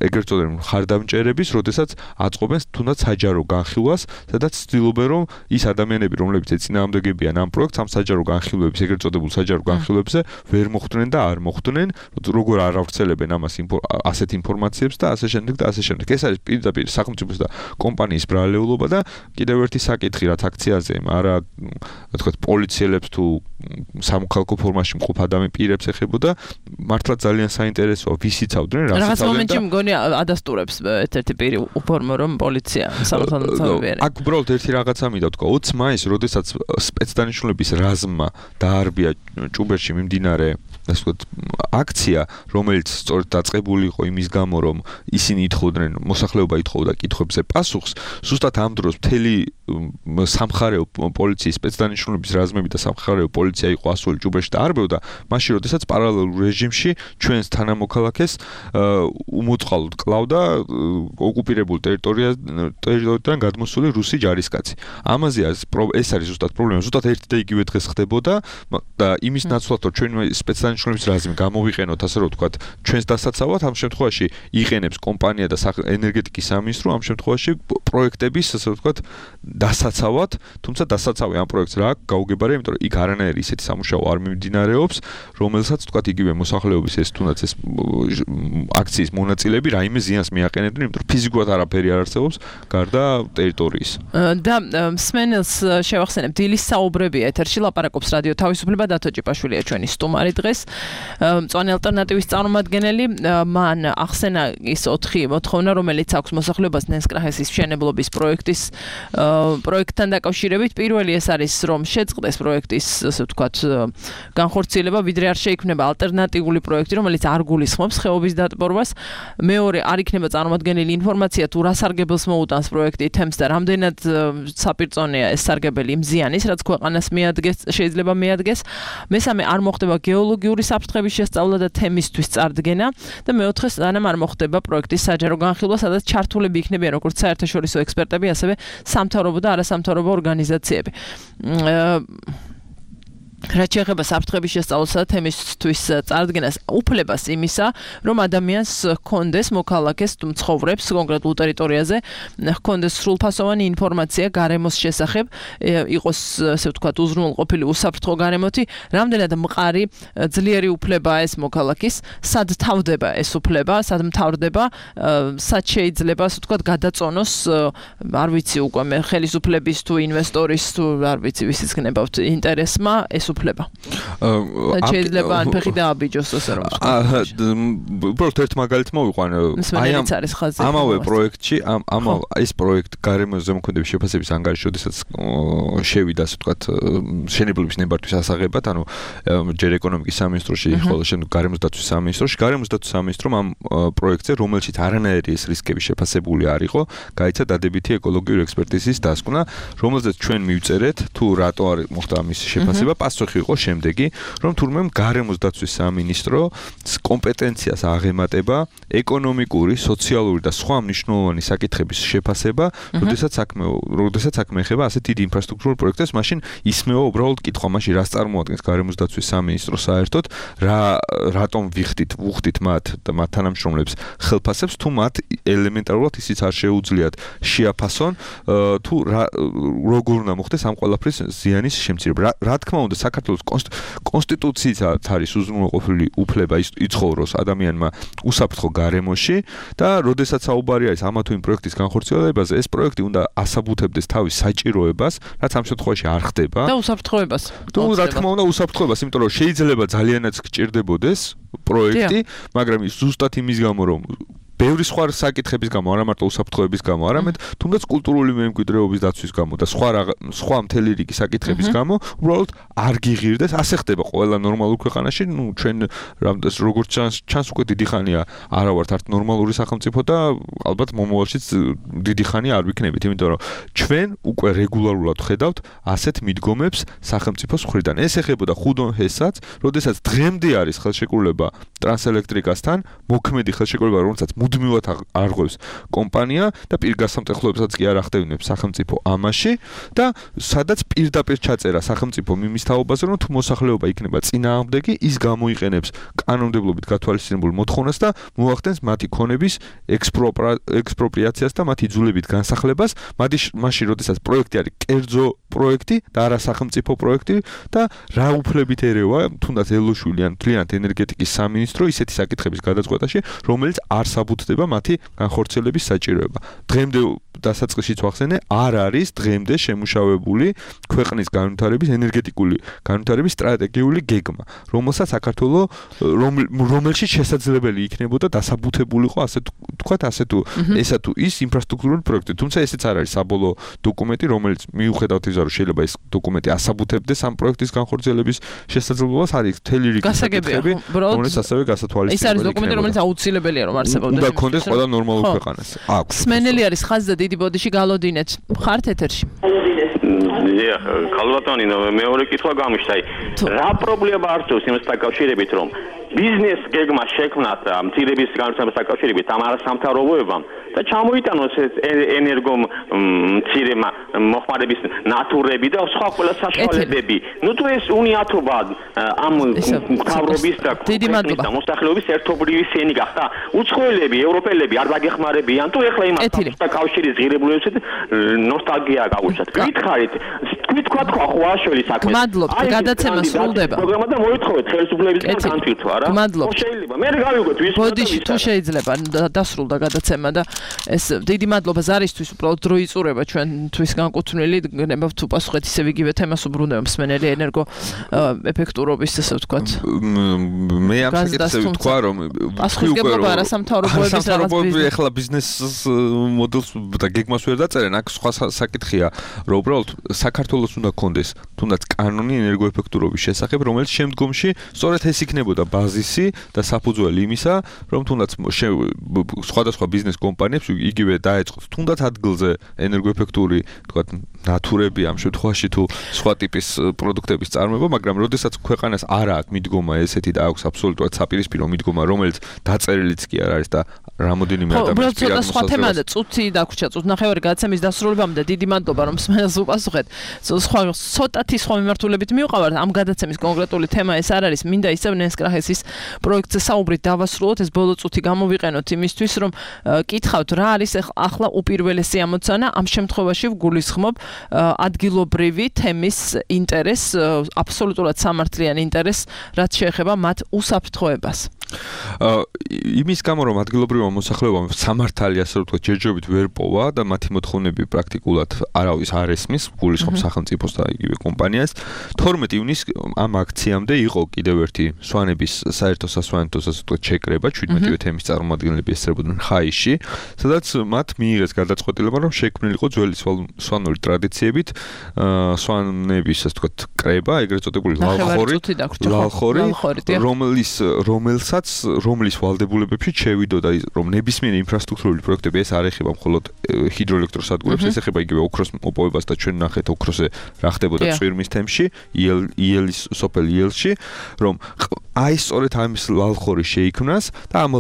ეგრეთ წოდებული ხარდამჭერების, როდესაც აწყობენ თუნდაც საჯარო განხილვას, სადაც ცდილობენ რომ ის ადამიანები, რომლებიც ეწინააღმდეგებიან ამ პროექტს, ამ საჯარო განხილვების, ეგრეთ წოდებულ საჯარო განხილვებზე ვერ მოხვდნენ და არ მოხვდნენ, როგორ არ ავრცელებენ ამას ასეთ ინფორმაციებს და ასე შემდეგ და ასე შემდეგ. ეს არის პირდაპირ სახელმწიფოს და კომპანიის ბრალეულობა და კიდევ ერთი საკითხი, რაც აქციაზე არა თქვათ პოლიციელებს თუ სამოქალაქო ფორმაში მყოფ ადამიანებს ეხებოდა, მართლა ძალიან საინტერესოა, ვის იცავდნენ, რა რაღაც მომენტში მგონი ადასტურებს ერთ-ერთი პირი უფორმო რომ პოლიცია სამართალდამცავები არის. აქ უბრალოდ ერთი რაღაცა მინდა ვთქვა, 20 მაისს, როდესაც სპეცდანიშნულების რაზმმა დაარბია ჭუბერში მიმდინარე ასე ვთქვათ აქცია, რომელიც სწორედ დაწყებული იყო იმის გამო, რომ ისინი ითხოვდნენ, მოსახლეობა ითხოვდა კითხვებზე პასუხს, ზუსტად ამ დროს მთელი სამხარეო პოლიციის სპეცდანიშნულების რაზმები და სამხარეო პოლიცია იყო ასული ჭუბერში და არბევდა, მაშინ როდესაც პარალელურ რეჟიმში ჩვენს თანამოქალაქეს უმოწყალოდ კლავდა ოკუპირებულ ტერიტორიიდან გადმოსული რუსი ჯარისკაცი. ამაზე ეს არის ზუსტად პრობლემა, ზუსტად ერთი და იგივე დღეს ხდებოდა და იმის ნაცვლად, რომ ჩვენ სპეცდანიშნულების რაზმი გამოვიყენოთ, ასე რომ ვთქვათ, ჩვენს დასაცავად, ამ შემთხვევაში იყენებს კომპანია და ენერგეტიკის სამინისტრო, ამ შემთხვევაში პროექტების, ასე ვთქვათ, დასაცავად, თუმცა დასაცავი ამ პროექტს რა გაუგებარია, იმიტომ რომ იქ არანაირი ისეთი სამუშაო არ მიმდინარეობს, რომელსაც ვთქვათ, იგივე მოსახლეობის ეს თუნდაც ეს აქციის მონაწილეები რაიმე ზიანს მიაყენებდნენ, იმიტომ რომ ფიზიკურად არაფერი არ არსებობს გარდა ტერიტორიის. და მსმენელს შევახსენებ, დილის საუბრებია ეთერში, ლაპარაკობს რადიო თავისუფლება, დათო ჭიპაშვილია ჩვენი სტუმარი დღეს. მწვანე ალტერნატივის წარმომადგენელი, მან ახსენა ის 4 მოთხოვნა, რომელიც აქვს მოსახლეობას ნენსკრაჰესის მშენებლობის პროექტთან დაკავშირებით. პირველი ეს არის, რომ შეწყდეს პროექტის, ასე ვთქვათ, განხორციელება, ვიდრე არ შეიქმნება ალტერნატიული პროექტი, რომელიც არ გულისხმობს ხეობის დატბორვას. მეორე, არ იქნება წარმოადგენელი ინფორმაცია, თუ რა სარგებელს მოუტანს პროექტი თემს და რამდენად საპირწონეა ეს სარგებელი იმ ზიანის, რაც ქვეყანას შეიძლება მიადგეს. მესამე, არ მოხდება გეოლოგიური აქტიური საფრთხების შესწავლა და თემისთვის წარდგენა და მეოთხე სანამ არ მოხდება პროექტის საჯარო განხილვა, სადაც ჩართულები იქნებიან როგორც საერთაშორისო ექსპერტები, ასევე სამთავრობო და არასამთავრობო ორგანიზაციები. რაც შეეხება საფრთხების შესწავლასა და თემისთვის წარდგენას, უფლებას იმისა, რომ ადამიანს ჰქონდეს მოქალაქეს თუ მცხოვრებს კონკრეტულ ტერიტორიაზე, ჰქონდეს სრულფასოვანი ინფორმაცია გარემოს შესახებ, იყოს ასე ვთქვათ უზრუნველყოფილი უსაფრთხო გარემოთი, რამდენად მყარი ძლიერი უფლებაა ეს მოქალაქის, სად თავდება ეს უფლება, სად მთავრდება, სად შეიძლება ასე ვთქვათ გადაწონოს, არ ვიცი უკვე მე ხელისუფლების თუ ინვესტორის თუ არ ვიცი ვისიც გნებავთ ინტერესმა ეს უფლება. შეიძლება ან ფეხი დააბიჯოს ასე რომ ვთქვათ. უბრალოდ ერთ მაგალითს მოვიყვან. ამავე პროექტში, ეს პროექტ გარემოს ზემოქმედების შეფასების ანგარიში, როდესაც შევიდა ასე ვთქვათ მშენებლობის ნებართვის ასაღებად, ანუ ჯერ ეკონომიკის სამინისტროში, ხოლო შემდეგ გარემოს დაცვის სამინისტროში, გარემოს დაცვის სამინისტრომ ამ პროექტზე, რომელშიც არანაირი ეს რისკები შეფასებული არ იყო, გაიცა დადებითი ეკოლოგიური ექსპერტიზის დასკვნა, რომელზეც ჩვენ მივწერეთ, თუ რატო არ მოხდა ამის შეფასება, პასუხი იყო შემდეგი, რომ თურმე გარემოს დაცვის სამინისტროს კომპეტენციას აღემატება ეკონომიკური, სოციალური და სხვა მნიშვნელოვანი საკითხების შეფასება, როდესაც საქმე ეხება ასეთ დიდ ინფრასტრუქტურულ პროექტებს, მაშინ ისმევა უბრალოდ კითხვა, მაშინ რას წარმოადგენს გარემოს დაცვის სამინისტრო საერთოდ, რატომ ვუხდით მათ და მათ თანამშრომლებს ხელფასებს, თუ მათ ელემენტარულად ისიც არ შეუძლიათ შეაფასონ, თუ როგორ უნდა მოხდეს ამ ყველაფრის ზიანის შემცირება. რა თქმა უნდა, საქართველოს კონსტიტუციითაც არის უზრუნველყოფილი უფლება იცხოვროს ადამიანმა უსაფრთხო გარემოში და როდესაც საუბარი არის ამა თუ იმ პროექტის განხორციელებაზე, ეს პროექტი უნდა ასაბუთებდეს თავის საჭიროებას, რაც ამ შემთხვევაში არ ხდება. და უსაფრთხოებას. რა თქმა უნდა, უსაფრთხოებას, იმიტომ რომ შეიძლება ძალიანაც გჭირდებოდეს პროექტი, მაგრამ ზუსტად იმის გამო, რომ ბევრი სხვა საკითხების გამო, არა მარტო უსაფრთხოების გამო, არამედ თუნდაც კულტურული მემკვიდრეობის დაცვის გამო და სხვა მთელი რიგი საკითხების გამო, უბრალოდ არ გიღირდეს. ასე ხდება ყველა ნორმალურ ქვეყანაში. ჩვენ როგორც ჩანს უკვე დიდი ხანია არა ვართ არც ნორმალური სახელმწიფო და ალბათ მომავალშიც დიდი ხანი არ ვიქნებით, იმიტომ რომ ჩვენ უკვე რეგულარულად ხედავთ ასეთ მიდგომებს სახელმწიფოს მხრიდან. ეს ეხებოდა ხუდონ ჰესაც, როდესაც დღემდე არის ხელშეკრულება ტრანსელექტრიკასთან, მოქმედი ხელშეკრულება, რომელსაც მუდმივად არღვევს კომპანია და პირგასამტეხლოებსაც კი არ ახდევნებს სახელმწიფო ამაში და სადაც პირდაპირ ჩაწერა სახელმწიფო იმის თაობაზე, რომ თუ მოსახლეობა იქნება წინააღმდეგი, ის გამოიყენებს კანონმდებლობით გათვალისწინებულ მოთხოვნას და მოახდენს მათი ქონების ექსპროპრიაციას და მათი იძულებით განსახლებას, მაშინ როდესაც პროექტი არის კერძო პროექტი და არა სახელმწიფო პროექტი და რა უფლებით ერევა თუნდაც ელოშვილი ან მთლიანად ენერგეტიკის სამინისტრო ისეთი საკითხების გადაწყვეტაში, რომელიც არ საბუთდება მათი განხორციელების საჭიროება. დღემდე დასაწყისშიც ვახსენე, არ არის დღემდე შემუშავებული ქვეყნის განვითარების ენერგეტიკული განვითარების სტრატეგიული გეგმა, რომელსაც საქართველოს რომელშიც შესაძლებელი იქნებოდა დასაბუთებულიყო ასე თუ ესა თუ ის ინფრასტრუქტურული პროექტი. თუმცა ესეც არ არის საბოლოო დოკუმენტი, რომელიც მიუხედავად იმისა, რომ შეიძლება ეს დოკუმენტი ასაბუთებდეს ამ პროექტის განხორციელების შესაძლებლობას, არის მთელი რიგი საკითხები, რომელიც ასევე გასათვალისწინებელი. ეს არის დოკუმენტი, რომელიც აუცილებელია რომ არსებობდეს. უნდა კონდეს ყველა ნორმალურ ქვეყანას. აქვს. სმენელი არის ხაზი და დიდი ბოდიში გალოდინეთ. ხართ ეთერში. ქალბატონი, მეორე კითხვა გამიშთა. რა პრობლემა არსებობს იმას დაკავშირებით, რომ ბიზნეს გეგმა შექმნათ მცირების განვითარებას დაკავშირებით ამ არასამთავრობოებამ და ჩამოიტანოს ენერგო მცირე მოხმარების ნატურები და სხვა ყველა საშუალებები. თუ ეს უნიათობა ამ მთავრობის და ქვეყნის მოსახლეობის ერთობლივი სენი გახდა, უცხოელები, ევროპელები არ დაგეხმარებიან თუ ეხლა იმას კავშირის ღირებულებებით ნოსტალგია გაუჩნდათ. გითხარით, თქვა ხვაშველი საქმე. გმადლობთ, გადაცემა სრულდება. პროგრამა და მოითხოვეთ ხელისუფლებისგან განცილთვა. გმადლობთ. შეიძლება მე გავიგოთ ვის ბოდიში თუ შეიძლება დასრულდა გადაცემა და ეს დიდი მადლობა ზარისთვის, უბრალოდ დრო იწურება ჩვენთვის განკუთვნილი, გნებავთ თუ პასუხეთ ისევ იგივე თემას უბრუნდება მსმენელი ენერგო ეფექტურობის ესე ვთქვათ. მე ამ საკითხზე ვთქვა რომ პასუხისმგებლობა არასამთავრობოების რაღაც ეხლა ბიზნეს მოდელს და გეგმას ვერ დაწერენ, აქ სხვა საკითხია, რომ უბრალოდ საქართველოს საქართველოს უნდა კონდეს თუნდაც კანონი ენერგოეფექტურობის შესახებ, რომელიც შემდგომში სწორედ ეს იქნებოდა ბაზისი და საფუძველი იმისა, რომ თუნდაც სხვადასხვა ბიზნეს კომპანიებს იგივე დაეწყოთ თუნდაც ადგილზე ენერგოეფექტური, თქვათ, ნატურები ამ შემთხვევაში თუ სხვა ტიპის პროდუქტების წარმოება, მაგრამ როდესაც ქვეყანას არ აქვს მიდგომა ესეთი და აქვს აბსოლუტურად საპირისპირო მიდგომა, რომელიც დაწერილიც კი არ არის და რამოდენიმე ადამიანის პირად სხვა თემაა და წუთი დაგვრჩა, წუთნახევარი გადაცემის დასრულებამდე დიდი მადლობა რომ მსმენელს უპასუხეთ. ცოტათი სხვა მიმართულებით მივყავართ ამ გადაცემის კონკრეტული თემა ეს არ არის, მინდა ისევ ნენსკრახესის პროექტზე საუბრით დავასრულოთ, ეს ბოლო წუთი გამოვიყენოთ იმისთვის, რომ კითხავთ რა არის ახლა უპირველესი ამოცანა, ამ შემთხვევაში ვგულისხმობ ადგილობრივი თემის ინტერესს, აბსოლუტურად სამართლიან ინტერესს, რაც შეეხება მათ უსაფრთხოებას. იმის გამო რომ ადგილობრივმა მოსახლეობამ სამართალი ასე რომ ვთქვათ ჯერჯერობით ვერ პოვა და მათი მოთხოვნები პრაქტიკულად არავის არ ესმის, გულისხმობს სახელმწიფოს და იგივე კომპანიას. 12 ივნისს ამ აქციამდე იყო კიდევ ერთი სვანების საერთო სასვანეთო ასე ვთქვათ შეკრება, 17-ვე თემის წარმომადგენლები ესწრებოდნენ ხაიში, სადაც მათ მიიღეს გადაწყვეტილება, რომ შექმნილიყო ძველი სვანური ტრადიციებით სვანების ასე ვთქვათ კრება, ეგრეთ წოდებული ლალხორი, რომლის ვალდებულებებში შევიდოდა რომ ნებისმიერი ინფრასტრუქტურული პროექტები ეს არ ეხება მხოლოდ ჰიდროელექტროსადგურებს, ეს ეხება იგივე ოქროს მოპოვებას და ჩვენ ნახეთ ოქროზე რა ხდებოდა წვირმის თემში, იელის სოფელ იელში, რომ აი სწორედ ამის ლალხორი შეიქმნას და ამ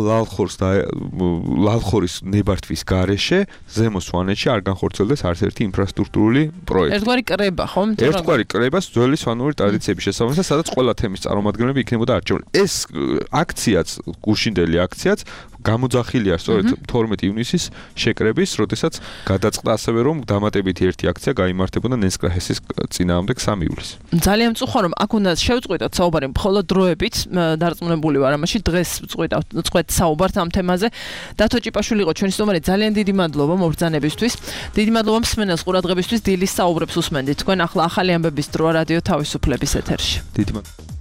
ლალხორის ნებართვის გარეშე ზემო სვანეთში არ განხორციელდეს არც ერთი ინფრასტრუქტურული პროექტი. ერთგვარი კრება, ხო? ერთგვარი კრებას ძველი სვანური ტრადიციების შესაბამისად, სადაც ყველა თემის წარმომადგენლები იქნებოდა არჩეული. ეს აქციაც, გუშინდელი აქციაც გამოძახილია სწორედ 12 ივნისის შეკრების, როდესაც გადაწყდა ასევე რომ დამატებითი ერთი აქცია გაიმართებოდა ნენსკრახესის წინააღმდეგ 3 ივლისს. ძალიან მწუხარ რომ აქ უნდა შევწყვიტოთ საუბარი მხოლოდ დროებით, დარწმუნებული ვარ ამაში, დღეს ვწყვეტ საუბართ ამ თემაზე. დათო ჭიპაშვილი იყო ჩვენი სტუმარი, ძალიან დიდი მადლობა მობრძანებისთვის. დიდი მადლობა მსმენელს ყურადღებისთვის, დილის საუბრებს უსმენდით. თქვენ ახლა ახალი ამბების დროა რადიო თავისუფლების ეთერში. დიდი მადლობა.